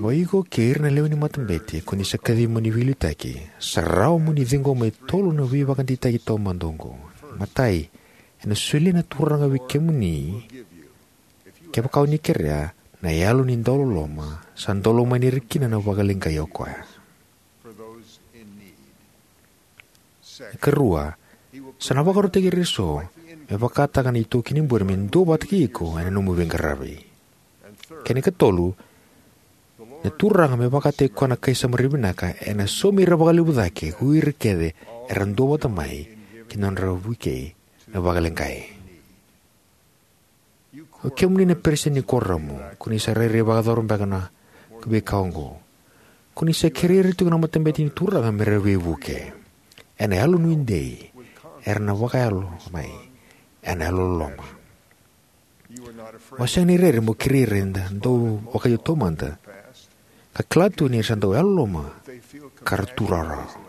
O iko kei ira na lewe ni matabete ko ni sa kacivi mo ni veiliutaki, sa rawa mo ni ciqoma e tolu na veivakadeitaki taumada oqo. Matai, ena solia na Turaga vei kemuni, kevaka o ni kerea, Na yalo ni dauloloma sa daulomani ira kina na vakaleqai o koya. Karua, sa na vakarautaki ira eso me vakataka na itaukei ni bure me duavata kei iko ena nomu veiqaravi. Kena ikatolu, na Turaga me vakataki koya na kai Samaria vinaka ena saumi ira vakalevu cake ko ira kece era duavata mai ki na nodra vukei na vakaleqai. O kemuni na peresitedi ni kuoramu, ko ni sa rairai vakayacora beka na veika oqo. Ko ni sa kerei ira tiko na matabete ni Turaga me ra veivuke. Ena yalonuidei, era na vakayalo mai ena yalololoma. O sega ni rere mo kerei ira ena dau vakaio taumada, ka kila tu ni ra sa dau yalololoma ka ra tu rawarawa.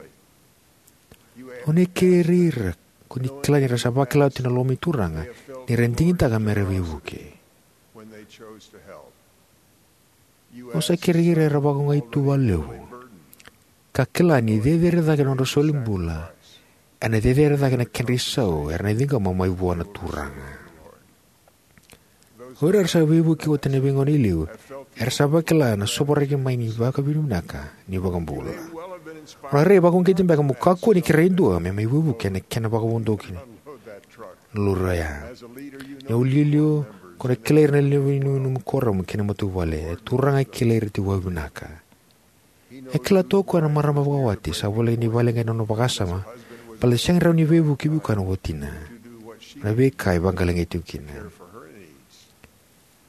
O ni kerei ira ko ni kila ni ra sa vakila tu na loma ni Turaga ni ra digitaka me ra veivuke. O sa kerei ira era vakaogai tu vakalevu, ka kila ni cecere cake na nodra solibula ena cecere cake na kedra isau era na ciqoma mai vua na Turaga. O ira era sa veivuke oti ena veigauna e liu era sa vakila na sovaraki mai ni vakavinavinaka ni iVakabula. O na rairai vakauqeti beka mo kakua ni kerei e dua me mai veivuke ena kena vakavodoki na lori oya. Ni o iliuliu, ko na kilai ira na lewe ni nomu kuoramu kei na matavuvale. E Turaga e kilai ira tiko vakavinaka. E kila tu o koya na marama vakawati sa voleka ni vakaleqai na nona vakasama baleta ni sega ni rawa ni veivuke vei koya na watina. Na veika e vakalegei tiko kina.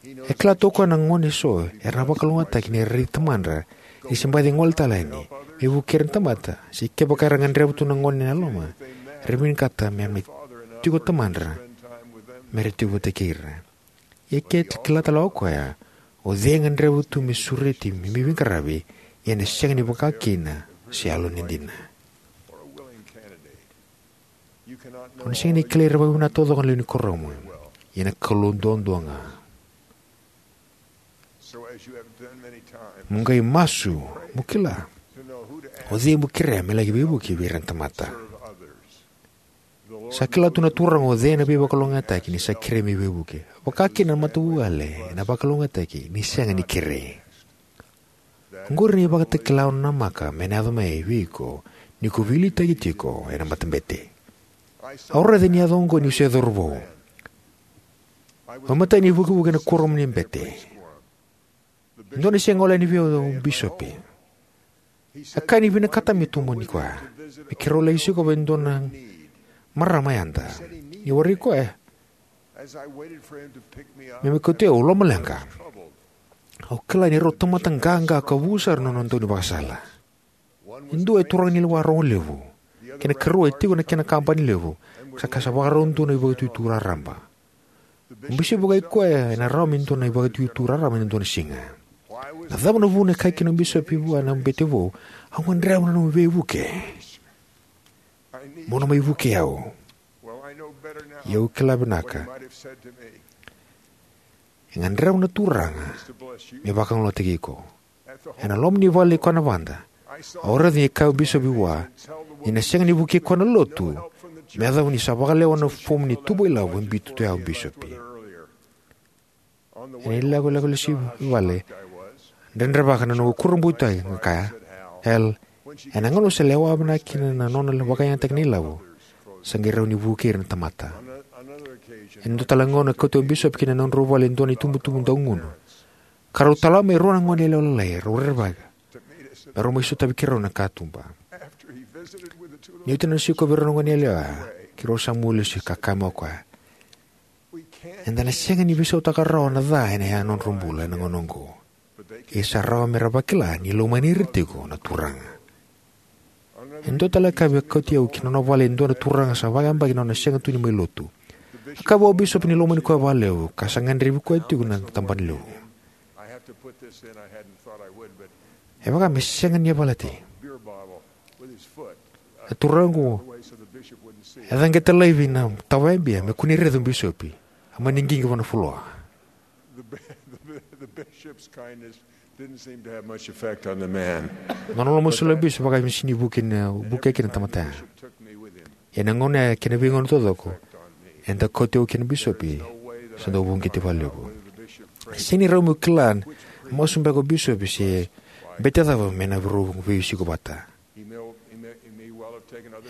E kila tu o koya na gone eso era na vakalougatataki ni ra raici tamadra ni se baci gole tale yani me vukei ira na tamata, se kevaka era gadreva tu na gone ena loma, era vinakata me mai tiko tamadra me ra tiko vata kei ira. Ia ke kila tale o koya o cei e gadreva tu me sureti me mai veiqaravi, ia ena sega ni vaka kina se yalo ni dina. O na sega ni kilai ira vakavinaka taucoko na lewe ni kuoramu, ia na Kalou duadua ga. Mo qai masu mo kila o cei mo kerea me laki veivuke vei ira na tamata. Sa kila tu na Turaga o cei ena veivakalougatataki ni sa kerei me veivuke, vaka kina na matavuvale ena vakalougatataki ni sega ni kerei. Oqori na ivakatakila au nanamaka me na yaco mai vei iko ni ko veiliutaki tiko ena matabete. Au raica ni yaco oqo niu se cauravou. Au imatai ni vukevuke ena kuoramu ni bete. E dua na siga e gole yani vei au o bisopi. E kaya ni vinakata meu tomani koya me keirau laki sikova e dua na marama yada. Niu warai koya me mai kauti au, au lomaleqa. Au kila ni rau tamata qaqa ka vu sara na nona dau ni vakasala. E dua e turaga ni lewa rogo levu, kei na karua e tiko na kena kabani levu, sa ka sa vakarau dua na ivakatutu raraba. O bisopi vaka i koya ena rawa me dua na ivakatutu raraba ena dua na siga. Na cava na vuna e kaya kina o bisopi vua na bete vou, au gadreva na nomu veivuke? Mo na mai vukei au. Ia au kila vinaka. E gadreva na Turaga me vakalougatataki iko. Ena loma ni vale i koya na vada, au raica ni kaya o bisopi vua ni na sega ni vukei koya na lotu me yacova ni sa vakalewa na fomu ni tubu ilavo e biuta tu ya o bisopi. Ena ilakolako lesu i vale, dredrevaka na noqu kurabuitaki ka kaya, Hal, ena gauna sa lewa vinaka kina na nona vakayagataki na ilavo, sa qai rawa ni vukei ira na tamata. Ena dua tale na gauna, kauti au o bisopi ki na nodrau vale e dua na itubutubu daugunu. Ka rau tala mai e rua na gone yalewa lalai, rau rerevaka me rau mai sotavi keirau ena katuba. Ni oti na nona sikovi rau na gone yalewa, keirau sa mua lesu ka kaya mai o koya, eda na sega ni veisautaka rawa na ca ena yanodrau bula ena gauna oqo. Ia sa rawa me ra vakila ni lomani ira tiko na Turaga. E dua tale na ka e kauti au ki na nona vale e dua na turaga sa vakayabaki na nona sega tu ni mai lotu. A kaya vua o bisopi ni lomani koya vakalevu ka sa gadrevi koya tiko na tabana levu. E vaka me sega ni yavalati. Na turaga oqo e caqeta laivi na tavaya bia me kua ni raica o bisopi. A mani qiqi vua na fuloa. The, the, the bishop's kindness didn't seem to have much effect on the man. Nona lomasoli na bisopi vaka me sega ni vukei kina, vukei kina na tamata ya. Ena gauna ya kei na veigauna taucoko eda kauti au kei na bisopi, sa dau uqeti vakalevu. E sega ni rawa meu kila na masu beka o bisopi se bete cava me na veisiko vata.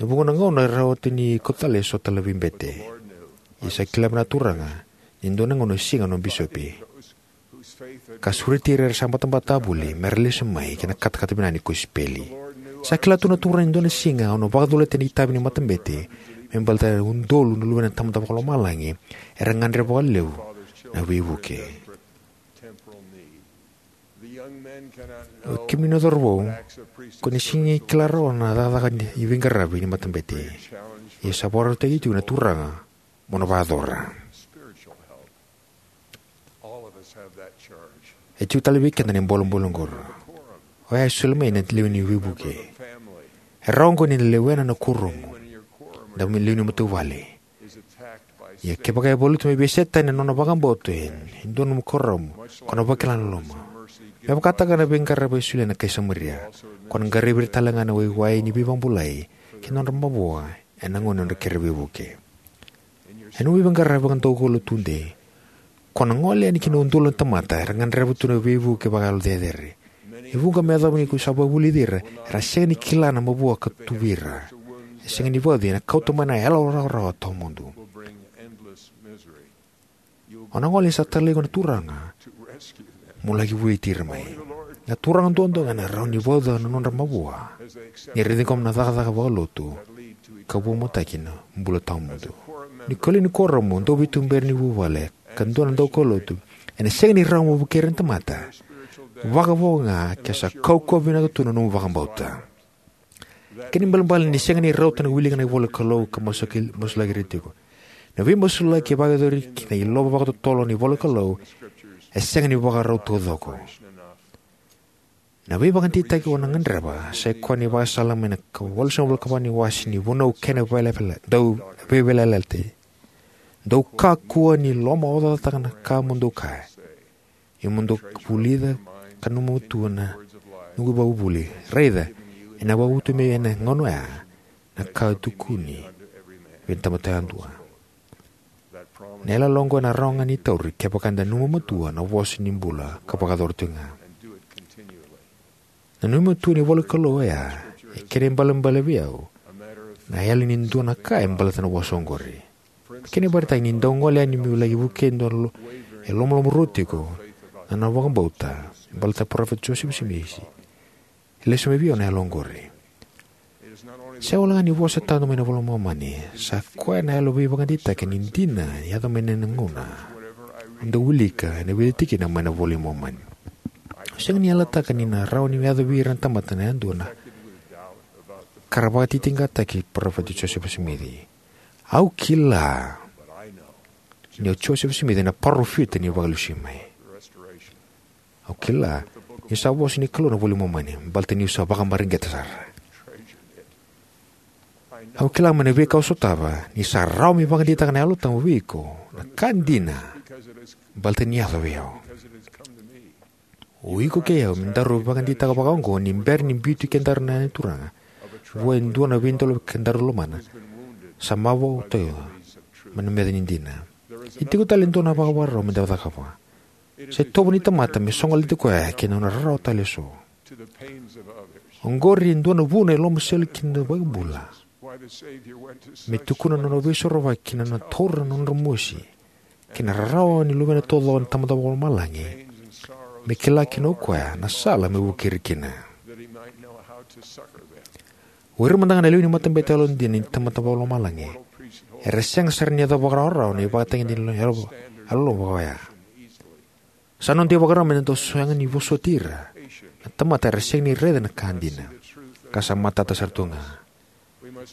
E vuqa na gauna e rawa tu ni kauta tale eso tale na veibete. Ia sa kila vinaka na Turaga ni dua na gauna e siga na nona bisopi, ka sureti ira era sa batabata voli me ra lesu mai ki na katakata vinaka ni kosipeli. Sa kila tu na Turaga ni dua na siga au na vakacolati na itavi ni matabete me baleta na udolu na luvena na Tamada Vakalomalagi era gadreva vakalevu na veivuke. O kemuni na cauravou, ko ni sega ni kila rawa na cakacaka ni veiqaravi ni matabete. Ia sa vakarautaki tiko na Turaga mo na vakayacora. E tiko tale vei keda na bolebole oqori. Oya e soli mai na lewe ni veivuke. E rawa oqo ni na lewena na kuoramu, na lewe ni matavuvale. Ia kevaka e valuta me veisetani na nona vakabauta e dua nomu kuoramu, ko na vakila na loloma. Me vakataka na veiqaravi e solia na kai Samaria, ko na qaravi ira tale ga na waiwai ni veivakabulai ki na nodra mavoa ena gauna ni nodra kere veivuke. Ena nomu veiqaravi vakadaukaulotu tudei, ko na gole yani ki na udolu na tamata era gadreva tu na veivuke vakayalo cecere. E vuqa me yacova ni ko sa vakavulici ira, era sega ni kila na mavoa ka tu vei ira. E sega ni vauci, ena kauta mai na yalo rawarawa tawamudu. O na gole ni sa talai iko na Turaga mo laki vueti ira mai. Na turaga duadua ga ena rawa ni vauca na nodra mavoa ni ra ciqoma na cakacaka vakalotu ka vuavuataki na bula tawamudu. Ni ko lewe ni kuoramu, dauveituberi ni vuvale, ka dua na daukaulotu, ena sega ni rawa mo vukei ira na tamata, vakavo ga ke sa kaukauwa vinaka tu na nomu vakabauta. Kena ibalebale ni sega ni rauta na wilika na ivola ni Kalou ka masulaki, masulaki ira tiko. Na veimasulaki e vakayacori ki na ilova vakatotolo ni ivola ni Kalou e sega ni vakarau taucoko. Na veivakadeitaki o na gadreva sa ikoya na ivakasala mai na ka walusagavulu ka va ni wase ni Vunau kei na Veiyalayalati, Dau Veiyalayalati. Dou kakua ni lomaocataka na ka mo dou kaya. Ia mo dou vulica ka nanuma tu na noqu ivakavuvuli. Raica, ena vakavotu mai ena gauna oya na ka e tukuni vei na tamata yadua. Na yalayala oqo ena rawa ga ni tauri kevaka eda nanuma matua na vosa ni bula ka vakayacora tiko ga. Na nanuma matua ni ivola ni Kalou oya e kena ibalebale vei au na yali ni dua na ka e baleta na vosa oqori. Kena ivakaraitaki, ni dau gole yani meu laki vukei e dua e lomaloma ruarua tiko na nona vakabauta me baleta na Parofita Josefa Simici, e lesu mai vei au na yalo oqori. Sega walega ni vosa e tadu mai na iVola i Momani, sa koya na yalo veivakadeitaki ni dina e yaco mai ena gauna au dau wilika ena vica na tikina mai na iVola i Momani. Au sega ni yalataka ni na rawa ni yaco vei ira na tamata yadua na ka ra vakatitiqataki Parofita Josefa Simici. Au kila ni o Josefa Simici na parofita ni Vakalesui mai. Au kila ni sa vosa ni Kalou na iVola i Momani baleta niu sa vakamareqeta sara. Au kila mai na veika au sotava ni sa rawa me vakadeitaka na Yalo Tabu vei iko na ka dina baleta ni yaco vei au. O iko kei au me daru vakadeitaka vakaoqo ni bera ni biuti kedaru na Turaga vua e dua na veidola kedaru lomana, sa mavoa tu mai na meca ni dina. E tiko tale e dua na vakavakarau meda cakava. Sa itovo ni tamata me sogolati koya kei na nona rarawa tale eso. Oqori e dua na vuna e lomasoli kina na iVakabula me tukuna na nona Veisorovaki na nona taura na nodra mosi kei na rarawa ni luvena taucoko na Tamada Vakalomalagi, me kila kina o koya na sala me vukei ira kina. O ira mada ga na lewe ni matabete yalodina ni Tamada Vakalomalagi era sega sara ni yacova vakarawarawa na ivakatagedegede ni yalo, yalololoma vaka oya. Sa noda ivakarau meda dau sega ni vosoti ira na tamata era sega ni raica na ka dina ka sa matata sara tu ga.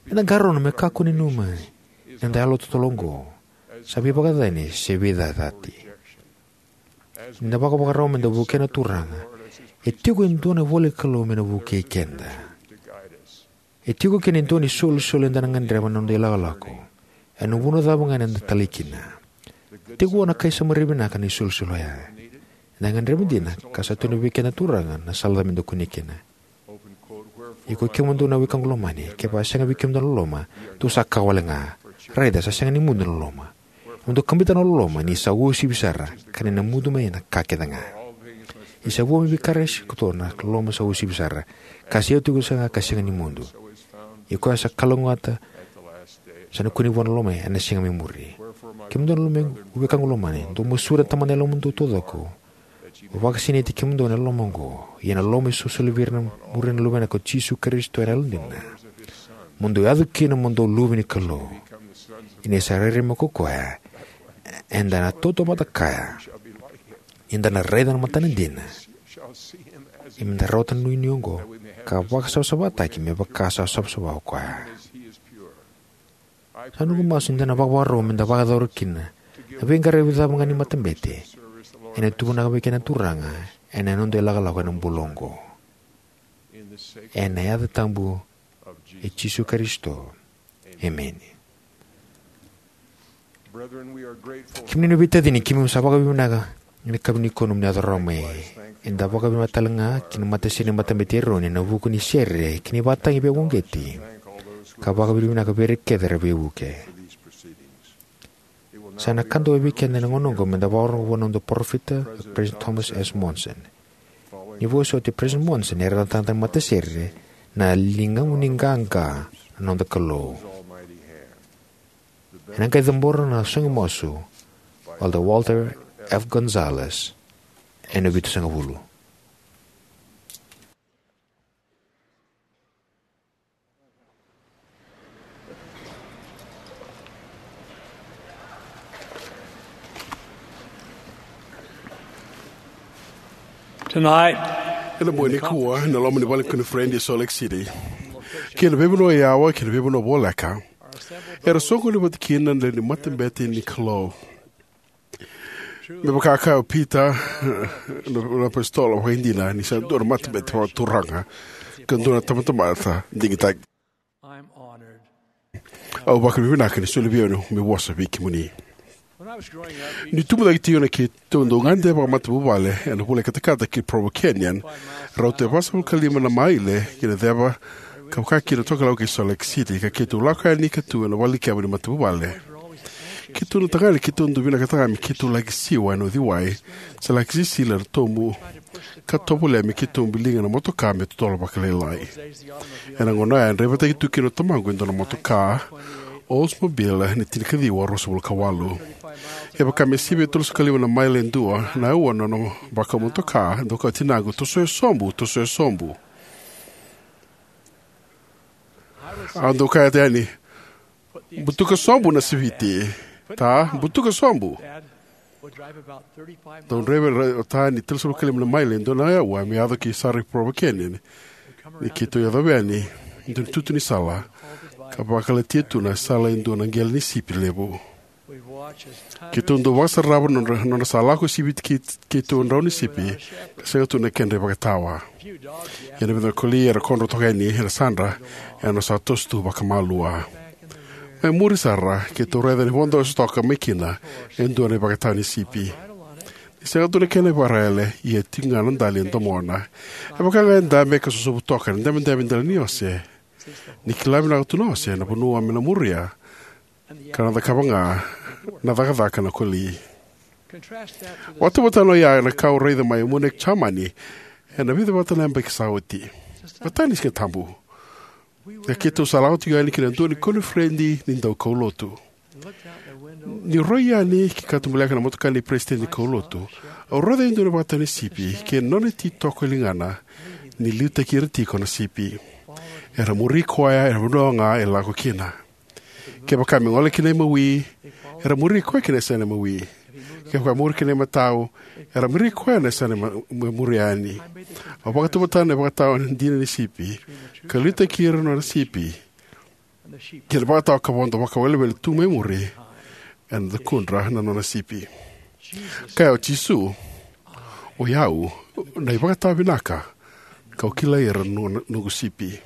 Eda qarauna me kakua ni nanuma ni noda yalo totolo oqo sa veivakacacani se veicacati. Ni da vakavakarau meda vukei na Turaga, e tiko e dua na ivola ni Kalou me na vukei keda. E tiko kina e dua na isolisoli eda na gadreva na noda ilakolako ena vuna cava ga eda talai kina. Tiko vua na kai Samaria vinaka na isolisoli oya. Eda gadreva dina, ka sa tukuna vei keda na Turaga na sala cava meda kunea kina. Ia ko kemudou na wekaqu lomani, kevaka e sega vei kemudou na loloma, dou sa kawa wale ga. Raica, sa sega ni mudu na loloma. Mo dou kabita na loloma, ni sa uasivi sara, ka ni na mudu mai na ka kece ga. Ni sa vua mai vei Karaisi koto na loloma sa uasivi sara, ka sa iotioti sara ga ka sega ni mudu. Ia koya sa kalougata, sa na kune vua na loloma ena siga mai muri. Kemudou na loloma, wekaqu lomani, dou masulaka na Tamada ena yalomudou taucoko. Mo vakasinaiti kemudou ena loloma oqo, ia na loloma e solisoli vei ira na muria na Luvena ko Jisu Karisito ena yalodina. Mo dou yaco kina mo dou luve ni Kalou. Ia ni sa rairai mai ko koya, eda na tautauvata kaya. Eda na raica na matana dina. Ia meda rawata na inuinui oqo, ka vakasavasavataki me vaka sa savasava o koya. Sa noqu masu ni da na vakavakarau meda vakayacora kina na veiqaravi cava ga ni matabete ena tuvanaka vei keda na Turaga ena noda ilakolako ena bula oqo. Ena yaca tabu i Jisu Karisito. Emeni. Kemuni na veitacini, keimami sa vakavinavinaka ena yakavi nikua nomuni yaco rawa mai. Eda vakavinavinaka tale ga ki na matasere ni Matabete i Eroni ena vuku ni sere kei na ivakatagi veivakauqeti, ka vakavinavinaka vei ira kece era veivuke. Sa na ka dau vei keda ena gauna oqo meda vakarorogo vua na noda parofita, President Thomas S. Monson. Ni vosoti President Monson, era na tagata matasere na ligamu ni qaqa na noda Kalou. Ena qai cabora na soqomasu o Elder Walter F. Gonzalez ena vitusagavulu. Tonight, ena bogi nikua, ena loma ni vale ni koniferedi e Salt Lake City, kei na veivanua yawa kei na veivanua voleka, era soqoni vata kina na lewe ni matabete ni Kalou. Me vaka kaya o Pita, na, na apositolo, vakaidina ni sa dua na matabete vakaturaga ka dua na tabatamata digitaki. Au vakavinavinaka ni soli vei au meu vosa vei kemuni. Niu tubu cake tiko, na keitou dau gade vakamatavuvale ena vula e katakata ki Provo Canyon, rauta e vasagavulu ka lima na maile ki na ceva ka vaka kina na tokalau kei Salt Lake City, ka keitou lako yani ka tu ena vale ni keba ni matavuvale. Keitou na tagane, keitou dau vinakata ga me keitou laki siwa ena uciwai, se laki sisila ena tobu, ka tovolea me keitou biliga na motoka me totolo vakalailai. Ena gauna oya, e draivataki tu kina o tamaqu e dua na motoka Oldsmobile ni tinikaciwa ruasagavulu ka walu. E vaka me sivia e tolusagavulu ka lima na maile e dua na aua na nona vakamotoka. Dau kaya o tinaqu, "Tosoya sobu, tosoya sobu." Au dau kaya yani, "Butuka sobu na siviti. Ta, butuka sobu." Dau draiva o ta ni tolusagavulu ka lima na maile e dua na aua me yaco ki sara i Provo Canyon. Ni keitou yacova yani e dua na itutu ni sala, ka vakalatia tu na sala e dua na qele ni sipi levu. Keitou dau vakasarava na nodra, nodra sa lako siviti kei, keitou drau ni sipi, ka sega tu na kedra ivakatawa. Ia na vica na koli era kodro toka yani ena sadra, era sa toso tu vakamalua. Mai muri sara, keitou raica ni vodo eso toka mai kina e dua na ivakatawa ni sipi. Ni sega tu na kena ivakaraiyale, ia e tiko ga na dali e domona. E vaka ga e dabe ka sosovu toka ena dabedabe dela ni ose. Ni kila vinaka tu na ose na vanua me na muria, ka na cakava ga na cakacaka na koli. Vakatauvatana oya na ka au raica mai Munich, Jamani, ena vica vata na yabaki sa oti. Vata ni Siga Tabu, na keitou sa lako tiko yani ki na dua ni koniferedi ni daukaulotu. Niu rai yani ki katubaleka na motoka ni peresitedi ni kaulotu, au raica e dua na ivakatawa ni sipi kei na nona ititoko e ligana, ni liutaki ira tiko na sipi. Era muri koya ena vanua ga e lako kina. Kevaka me gole ki na imawi, era muri koya ki na yasana imawi. Kevaka muri ki na imatau, era muri koya na yasana ima-, me muri yani. Au vakatauvatana na ivakatawa dina ni sipi, ka liutaki ira na nona sipi. Kei na ivakatawa ka vodo vakawelewele tu mai muri, ena cakudra na nona sipi. Kaya o Jisu, "O i au na ivakatawa vinaka, kau kilai ira na noqu sipi."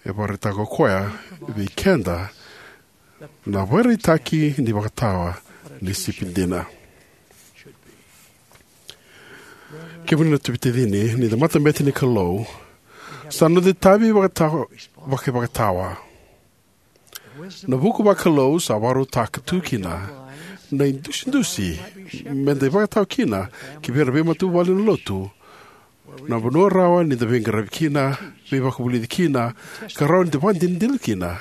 E vakaraitaka o koya vei keda na ivakaraitaki ni ivakatawa ni sipi dina. Kemuni na veitacini, ni da matabete ni Kalou, sa noda itavi vakatawa, vakaivakatawa. Na vuku vakalou sa vakarautaka tu kina Na idusidusi me da ivakatawa kina ki vei ira na veimatavuvale na lotu, na vanua rawa ni da veiqaravi kina, veivakavulici kina, ka rawa ni da vakadinadina kina.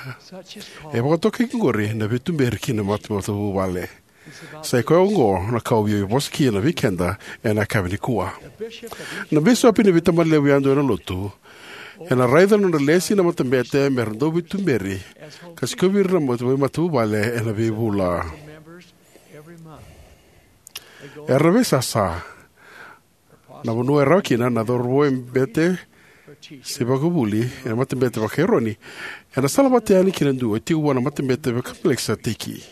E vakatokai oqori na veituberi kina mata, matavuvale. Sa i koya oqo na ka au via vosa kina vei keda ena yakavi nikua. Na bisopi ni veitamani levu yadua ena lotu ena raica na nodra lesi na matabete me ra dau veituberi ka sikovi ira na mata, veimatavuvale ena veivula. Era veisasa na vanua e rawa kina na cauravou e bete se vakavuli ena matabete vaka-Eroni. Ena sala vata yani kina dua e tiko vua na matabete vaka-Melikiseteki.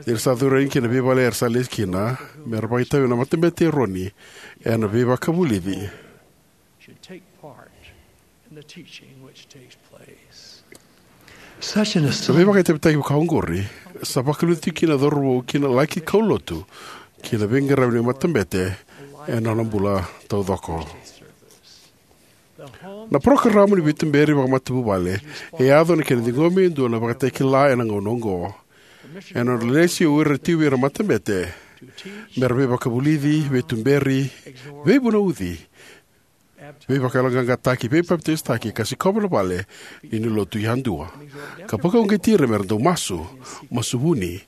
Ni ra sa curu yani kina veivale era sa lesi kina, me ra vakaitavi na matabete Eroni ena veivakavulici. Should take part in the teaching which takes place. Such an Na assignment veivakaitavitaki vaka oqori sa vakalutu kina cauravou kina laki kaulotu kina veiqaravi ni matabete ena nona bula taucoko. Na porokaramu ni veituberi vakamatavuvale e yaco na kena ciqomi e dua na vakatakila ena gauna oqo. Ena nodra lesi o ira tiko vei ira matabete me ra veivakavulici, veituberi, veivunauci, veivakayaloqaqataki, veipapitaisotaki, ka sikova na vale ni, ni lotu yadua, ka vakauqeti ira me ra dau masu, masu vuni,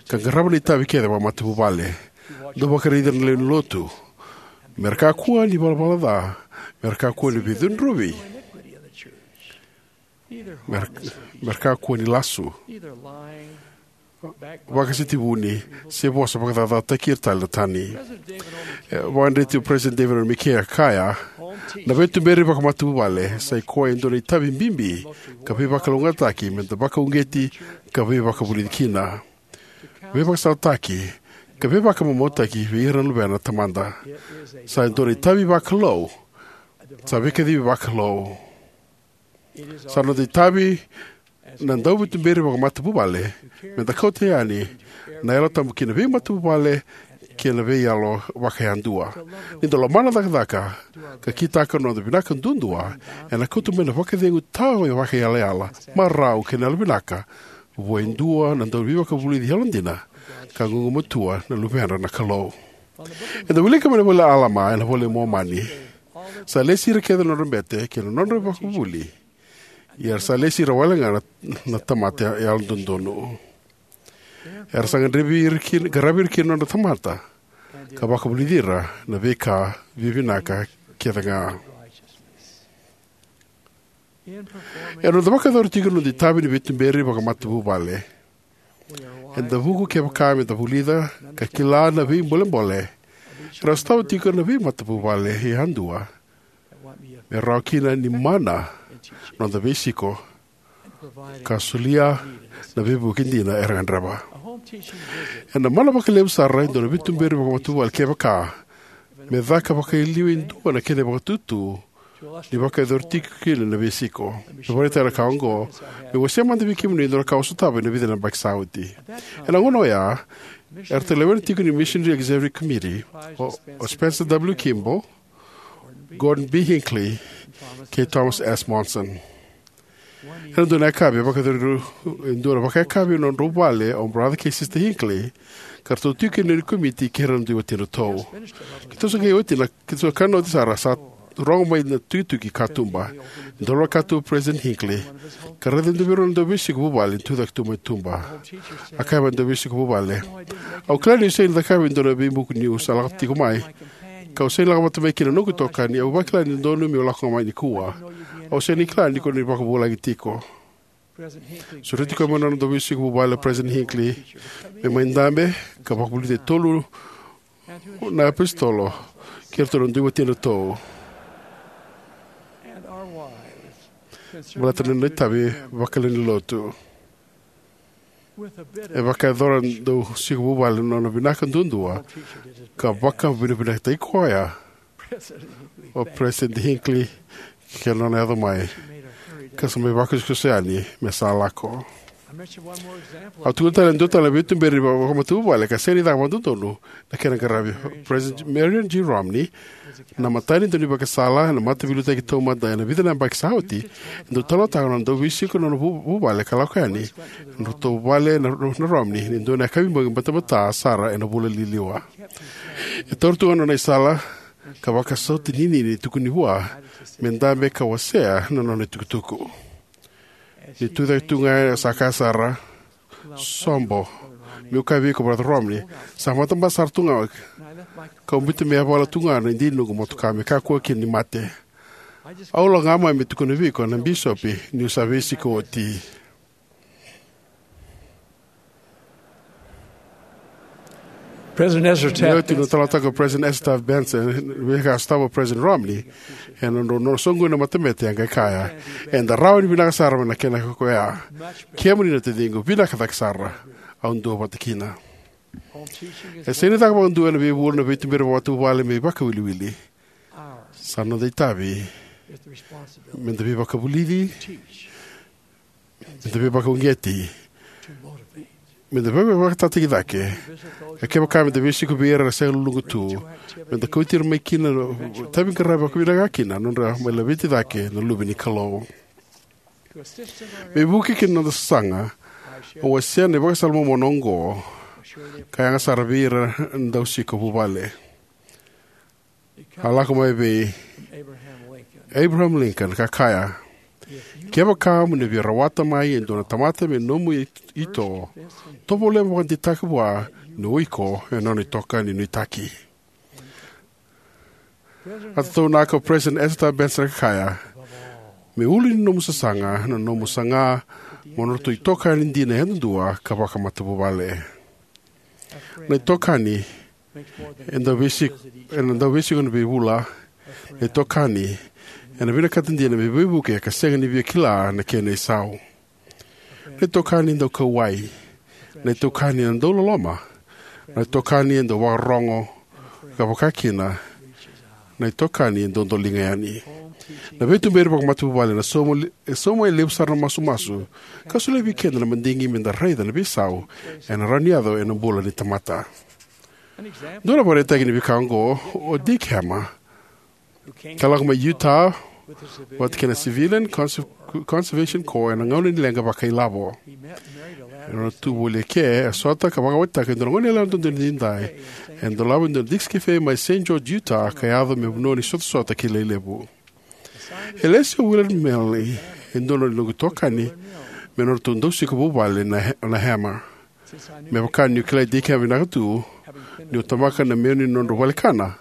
ka qarava na itavi kece vakamatavuvale. Dau vakaraici ira na lewe ni lotu me ra kakua ni valavala ca, me ra kakua ni veicudruvi, me ra, me ra kakua ni lasu, vakasetivuni, se vosa vakacacataki ira tale na tani. E vakadreti o President David O. McKay, e kaya, na veituberi vakamatavuvale sa i koya e dua na itavi bibi ka veivakalougatataki me da vakauqeti ka veivakavulici kina, veivakasalataki ka veivakamamautaki vei ira na luvena na Tamada. Sa i dua na itavi vakalou. Sa veikacivi vakalou. Sa noda itavi na dauveituberi vakamatavuvale me da kauta yani na Yalo Tabu ki na veimatavuvale kei na veiyalo vakayadua. Ni da lomana na cakacaka ka kitaka na noda vinaka duadua, ena kauta mai na vakacegu tawa vakaiyalayala, marau kei na yalovinaka vua e dua na dauveivakavulici yalodina ka gugumatua na luvedra na Kalou. Eda wilika mai na ivola i Alama ena iVola i Momani. Sa lesi ira kece na nodra bete kei na nodra ivakavuvuli, ia era sa lesi ira wale ga na, na tamata yalododonu. Era sa gadrevi ira kina, qaravi ira kina na nodra tamata ka vakavulici ira na veika vivinaka kece ga. Ena noda vakayacora tiko na noda itavi ni veituberi vakamatavuvale, eda vuku kevaka me da vulica ka kila na veibolebole era sotava tiko na veimatavuvale yadua, me rawa kina ni mana noda veisiko ka solia na veivuke dina era gadreva. Ena mana vakalevu sara e dua na veituberi vakamatavuvale kevaka me caka vakailiu e dua na kena vakatutu ni vakayacori tiko kina na veisiko. Me vakaraitaka na ka oqo, meu wasea mada vei kemuni e dua na ka au sotava ena vica na yabaki sa oti. Ena gauna oya, era talevoni tiko ni Missionary Executive Committee o, o Spencer W. Kimball, Gordon B. Hinckley, kei Thomas S. Monson. Ena dua na yakavi, e vakayacori e dua na vakayakavi ena nodrau vale o Brother kei Sister Hinckley, ka ratou tiko kina na komiti kei ira na dui watidratou. Keitou sa qai oti na, keitou sa kana oti sara, sa rogo mai na tukituki katuba. Dau lako tu o President Hinckley ka raica e dua vei rau na dauveisiko vuvale ni tucake tu mai tuba. A kaya vei na dauveisiko vuvale, "Au kila niu sega ni cakava e dua na veibuku niu sa lako tiko mai, kau sega ni lako vata mai kina na noqu itokani. Au vakila ni dodonu meu lako ga mai nikua. Au sega ni kila ni ko ni vakavulagi tiko." Sureti koya mai na nona dauveisiko vuvale o President Hinckley me mai dabe ka vakavulici e tolu na apositolo kei iratou na dui watidratou, baleta na nona itavi vakalewe ni lotu. E vakayacora na dauveisiko vuvale na nona vinaka duadua ka vakavinavinakataki koya o President Hinckley kei na nona yaco mai, ka sa mai vakosokoso yani me sa lako. Au tukuna tale e dua tale na veituberi ni vakamatavuvale ka sega ni caka vakadodonu na kena qaravi. President Marion G. Romney, na matani dau ni vakasala na mataveiliutaki taumada ena vica na yabaki sa oti, e dau talanoataka na nona dau veisiko na nona vu- vuvale ka lako yani ena nodratou vale na, na Romney ni dua na yakavi bogi batabata sara ena vula liliwa. E taura tu ga na nona isala ka vakasauta ninini, tukuni vua me dabe ka wasea na nona itukutuku. Ni tucake tu ga sa kaya sara, "Sobo, meu kaya vei iko, Brother Romney, sa matabasa sara tu ga, kau biuta me yavala tu ga na idini ni noqu motoka me kakua kina ni mate." Au lako ga mai me tukuna vei iko na bisopi niu sa veisiko oti. President Ezra Taft Ni oti na Benson. Talanoataka o President Ezra Taft Benson, veika a sotava o President Romney, ena nona, nona soqoni na matabete, a qai kaya, "Eda rawa ni vinaka sara mai na kena koya. Kemuni na taciqu, vinaka cake sara. Au duavata kina." E sega ni caka vakadua ena veivula na veituberi vakamatavuvale me ivakawiliwili. Sa noda itavi meda veivakavulici, meda veivakauqeti, meda veivakatataki cake. Ka kevaka meda veisiko vei ira era sega luluqa tu, meda kauti ira mai kina na itavi qaravi vakavinaka kina, nodra mai laveti cake na luve ni Kalou. Me vukei kina noda sasaga, au wasea na ivakasala momona oqo, ka yaga sara vei ira na dau siko vuvale. A lako mai vei Abraham Lincoln ka kaya, "Kevaka mo ni via rawata mai e dua na tamata me nomu i- ito, tovolea mo vakadeitaka vua ni o iko e nona itokani nuitaki." A tataunaka o President Ezra Taft Benson ka kaya, "Me ulu ni nomu sasaga na nomu saga mo nodratou itokani dina yadudua ka vakamatavuvale." Na itokani ena dau veisiko, ena dau veisiko ena veivula. Na itokani ena vinakata dina me veivuke ka sega ni via kila na kena isau. Na itokani e dau kauwai. Na itokani ena dau loloma. Na itokani e dau vakarorogo, ka vaka kina na itokani e dodoliga yani. Na veituberi vakamatavuvale ena sauma le- e sauma e levu sara na masumasu ka solia vei keda na madigi meda raica na veisau ena rawa ni yaco ena bula ni tamata. Dua na vakaraitaki ni veika oqo o Dick Hammer, ka lako mai Utah vata kei na Civilian Conser- Conservation Corps ena gauna ni leqa vakailavo. Ena nona tu voli eke, a sota ka vakawatitaka e dua na goneyalewa dodonu edaidai ena dolava e dua na Dick's Cafe mai Saint George, Utah, ka yaco me vanua ni sotasota kilai levu. E lesi o Willard Milne, e dua na noqu itokani, me nodratou dau siko vuvale na, na Hammer. Me vaka niu kilai Dick Hammer vinaka tu, niu tabaka na menu ni nodrau valekana,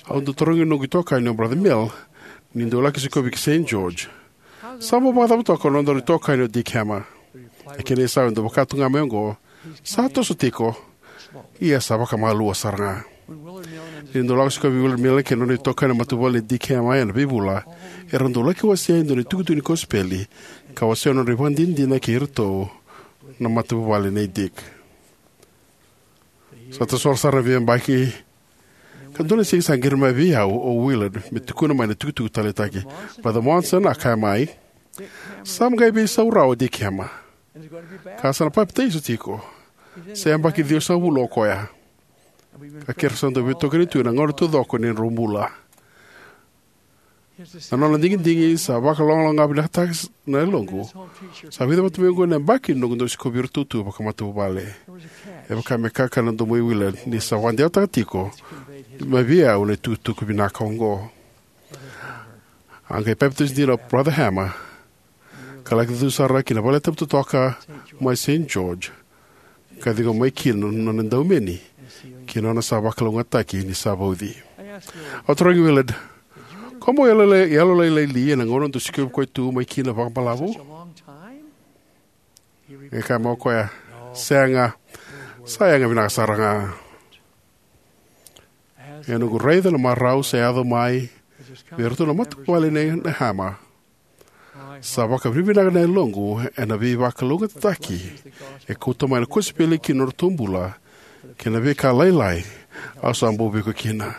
au dau tarogi noqu itokani o Brother Milne ni dau laki sikovi ki Saint George, "Sa bau vakacava toka na nodaru itokani o Dick Hammer?" Na kena isau e dau vaka tu ga mai oqo, "Sa toso tiko, ia sa vakamalua sara ga." Ni dau lako sikovi Willard Milne kei na nona itokani na matavuvale nei Dick Hammer ena veivula, era dau laki wasea e dua na itukutuku ni kosipeli ka wasea na nodra ivakadinadina kei iratou na matavuvale nei Dick. Sa tasora sara na veiyabaki, ka dua na siga sa qiri mai vei au o Willard me tukuna mai na itukutuku taleitaki. "Brother Monson," a kaya mai, "sa qai veisau rawa o Dick Hammer, ka sa na papitaiso tiko. Sa yabaki ciwasagavulu o koya, ka keirau sa dau veitokani tu ena gauna taucoko ni nodrau bula. Na nona digidigi sa vakalogaloga vinakataka na yaloqu. Sa vica vata mai oqo na yabaki noqu dau sikovi iratou tu vakamatavuvale." E vaka me kakana na domo i Willard ni sa vakadewataka tiko mai vei au na itukutuku vinaka oqo. A qai papitaiso dina o Brother Hammer, ka laki cucu sara ki na valetabu totoka mai Saint George, ka ciqoma mai kina na nona daumeni kei na nona sa vakalougatataki ni sa vauci. Au tarogi Willard, "Ko bau yalolailai li ena gauna dou sikovi koya tu mai kina vakabalavu?" E kaya mai o koya, "Sega, sa yaga vinaka sara ga." Ena noqu raica na marau sa yaco mai vei iratou na matavuvale nei Hammer, sa vakavinavinaka na yaloqu ena veivakalougatataki e kauta mai na kosipeli ki na nodratou bula kei na veika lailai au sa bau vei iko kina.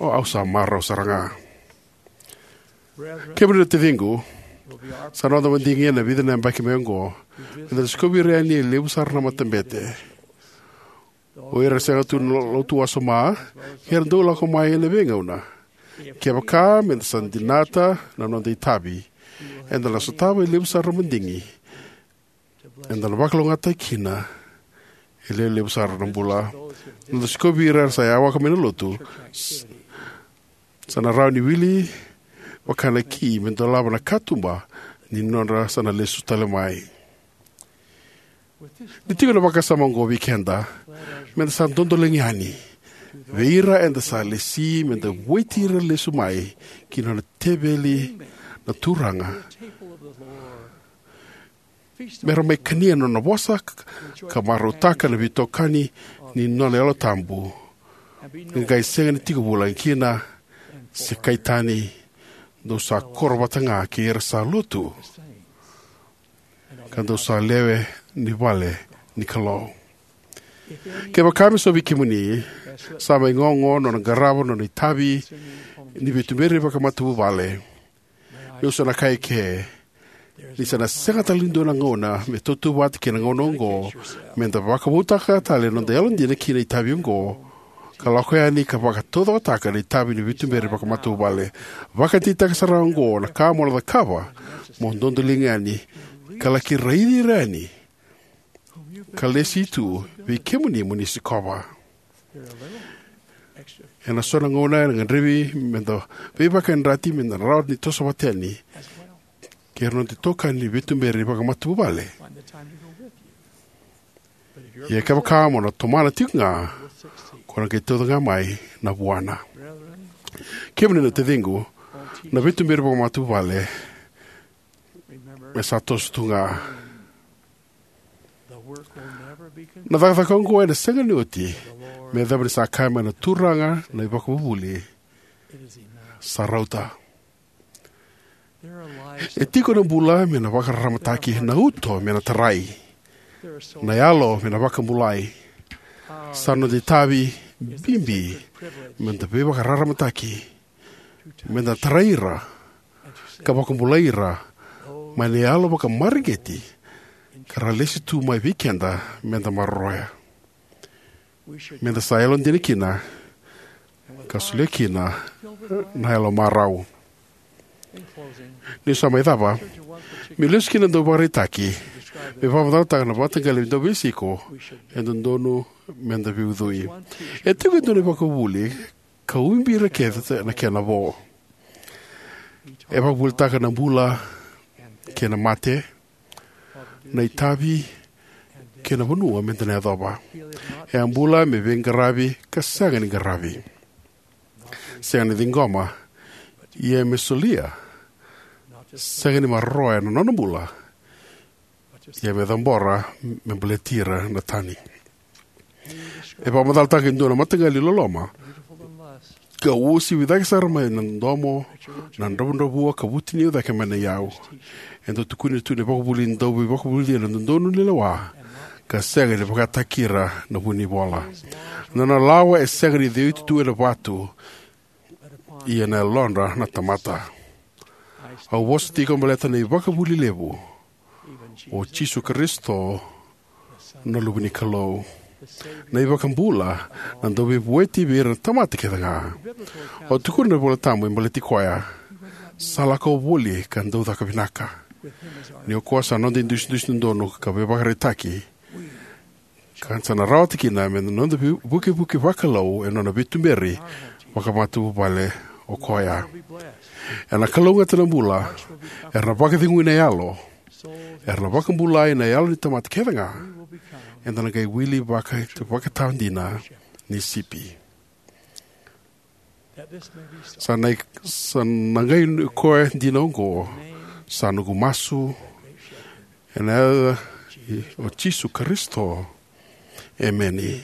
O au sa marau sara ga. Kemuni na taciqu, Sa noda madigi ena vica na yabaki mai oqo, meda na sikovi ira yani e levu sara na matabete. O ira sega tu na lotu wasoma, era dau lako mai ena veigauna. Kevaka meda sa dinata na noda itavi, eda na sotava e levu sara na madigi. Eda na vakalougatataki kina e levu sara na bula. Noda sikovi ira era sa yawaka mai na lotu, s- sa na rawa ni wili vaka na ki me dolava na katuba ni nodra sa na lesu tale mai. Ni tiko na vakasama oqo vei keda, meda sa dodoliga yani vei ira eda sa lesi, meda vueti ira lesu mai ki na nona teveli na Turaga, mera mai kania na nona vosa, ka marautaka na veitokani ni nona Yalo Tabu. Ka qai sega ni tiko vulagi kina se kai tani, dou sa koro vata ga kei ira sa lotu, ka dou sa lewe ni vale ni Kalou. Kevaka me so vei kemuni, sa mai gogo nona qarava nona itavi ni veituberi vakamatavuvale, meu sa na kaya eke ni sa na sega tale ni dua na gauna me tautauvata kei na gauna oqo meda vakavoutaka tale na noda yalodina ki na itavi oqo, ka lako yani ka vakataucokotaka na itavi ni veituberi vakamatavuvale. Vakadeitaka sara oqo na ka mo na cakava, mo dodoliga yani ka laki raici ira yani ka lesi tu vei kemuni mo ni sikova. Ena so na gauna ena gadrevi meda veivakayadrati meda na rawa ni toso vata yani kei ira na noda itokani ni veituberi vakamatavuvale. Ia kevaka mo na tomana tiko ga, ko na qai tauca ga mai na vuana. Kemuni na taciqu, na veituberi vakamatavuvale me sa toso tu ga. Na cakacaka oqo ena sega ni oti me yacova ni sa kaya mai na Turaga na iVakavuvuli, sa rauta. E tiko na bula me na vakararamataki, na uto me na tarai, na yalo me na vakabulai. Sa noda itavi bibi meda veivakararamataki, meda tarai ira ka vakabulai ira mai na yalo vakamareqeti ka ra lesi tu mai vei keda meda maroroya. Meda sa yalodina kina ka solia kina na yalo marau. Niu sa mai cava, meu lesu ki na dauvakaraitaki me vakamacalataka na mataqali dauveisiko e dodonu meda veiucui. E tiko e dua na ivakavuvuli ka ubi ira kece na kena vo. E vakavuvulitaka na bula kei na mate, na itavi kei na vanua meda na yacova. E a bula me veiqaravi ka sega ni qaravi, sega ni ciqoma, ia me solia, sega ni maroroya na nona bula, ia me cabora me baleti ira na tani. E vakamacalataka e dua na mataqali loloma ka uasivi cake sara mai na domo, na dravudravua ka vutuniyau cake mai na iyau. E dau tukuni tu na ivakavuvuli ni dauveivakavulici ena dodonu ni lewa ka sega ni vakataki ira na vunivola. Na nona lawa e sega ni ceuti tu ena vatu, ia na yalodra na tamata. Au vosa tiko baleta na ivakavuvuli levu, o Jisu Karisito, na Luve ni Kalou, na iVakabula, na Dauveivueti vei ira na tamata kece ga. Au tukuna na iVola Tabu me baleti koya, sa lako voli ka dau caka vinaka. Ni o koya sa noda idusidusi dodonu ka veivakaraitaki, ka sa na rawata kina me na noda vi- vukevuke vakalou e nona veituberi vakamatavuvale o koya. Ena kalougata na bula, era na vakacegui na yalo, era na vakabulai na yalo ni tamata kece ga. Eda na qai wili vaka vakatawa dina ni sipi. Sa na, sa na qai koya dina oqo, sa noqu masu ena yaca i o Jisu Karisito. Emeni.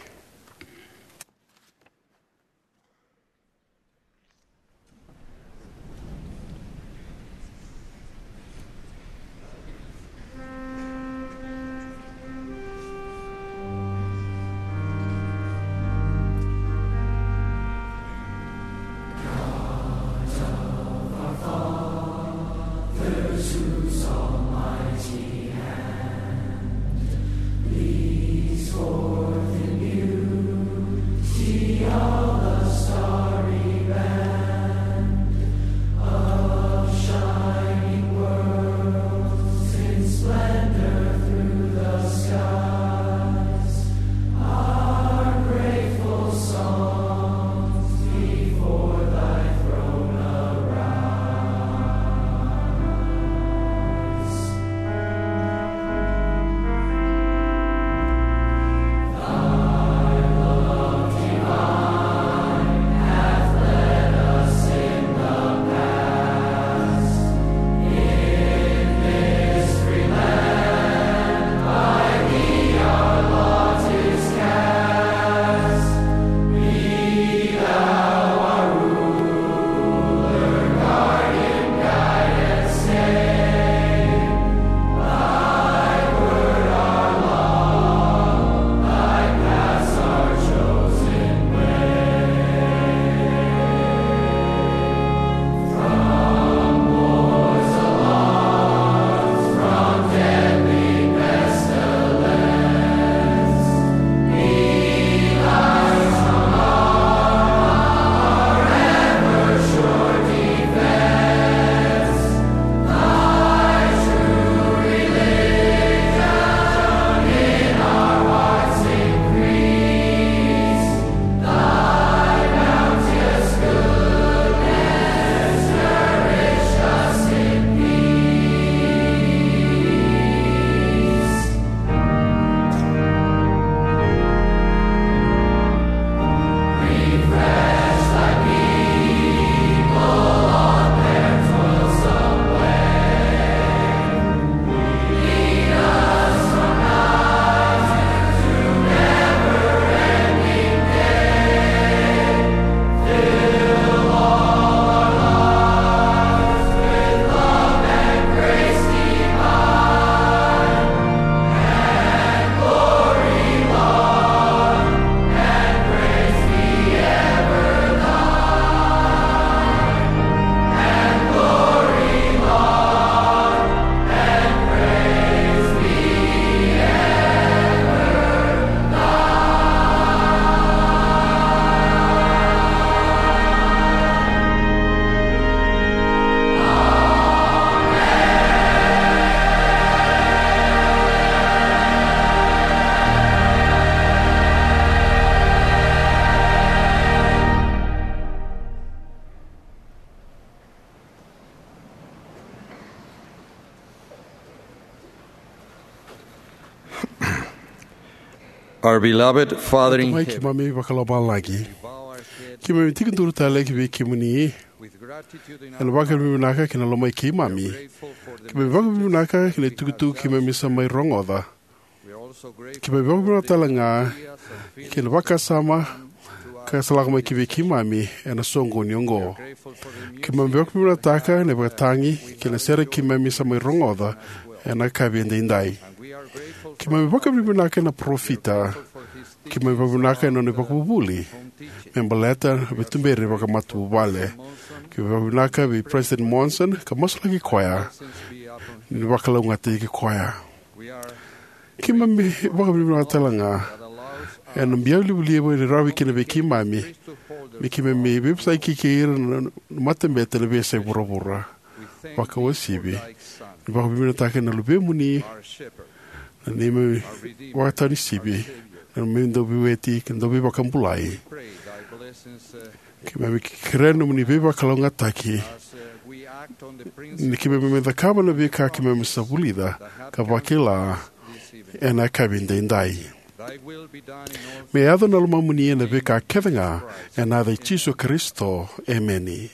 Our beloved Father in Tamai heaven, keimami vakalomalagi, keimami tekiduru tale ki vei kemuni ena vakavinavinaka kei na lomai keimami. Keimami vakavinavinaka kei na itukutuku keimami sa mai rogoca. Keimami vakavinavinaka tale ga kei na vakasama ka sa lako mai ki vei keimami ena soqoni oqo. Keimami vakavinavinakataka na ivakatagi kei na sere keimami sa mai rogoca ena yakavi edaidai. Keimami vakavinavinaka na parofita. Keimami vakavinavinaka na nona ivakavuvuli me baleta na veituberi vakamatavuvale. Keimami vakavinavinaka vei President Monson ka masulaki koya ni vakalougatataki koya. Keimami vakavinavinaka tale ga ena biau livaliva ni rawa kina vei keimami me keimami veivosaki kei ira na matabete ena veiyasai vuravura. Vakauasivi, ni vakavinavinakataka na luvemuni, na neimami vakataunisivi, na neimami dauveiweti kei na dauveivakabulai. Keimami kerea na nomuni veivakalougatataki ni keimami mai cakava na veika keimami sa vulica ka vakila ena yakavi edaidai. Me yaco na lomamuni ena veika kece ga, ena yaca i Jisu Karisito, emeni.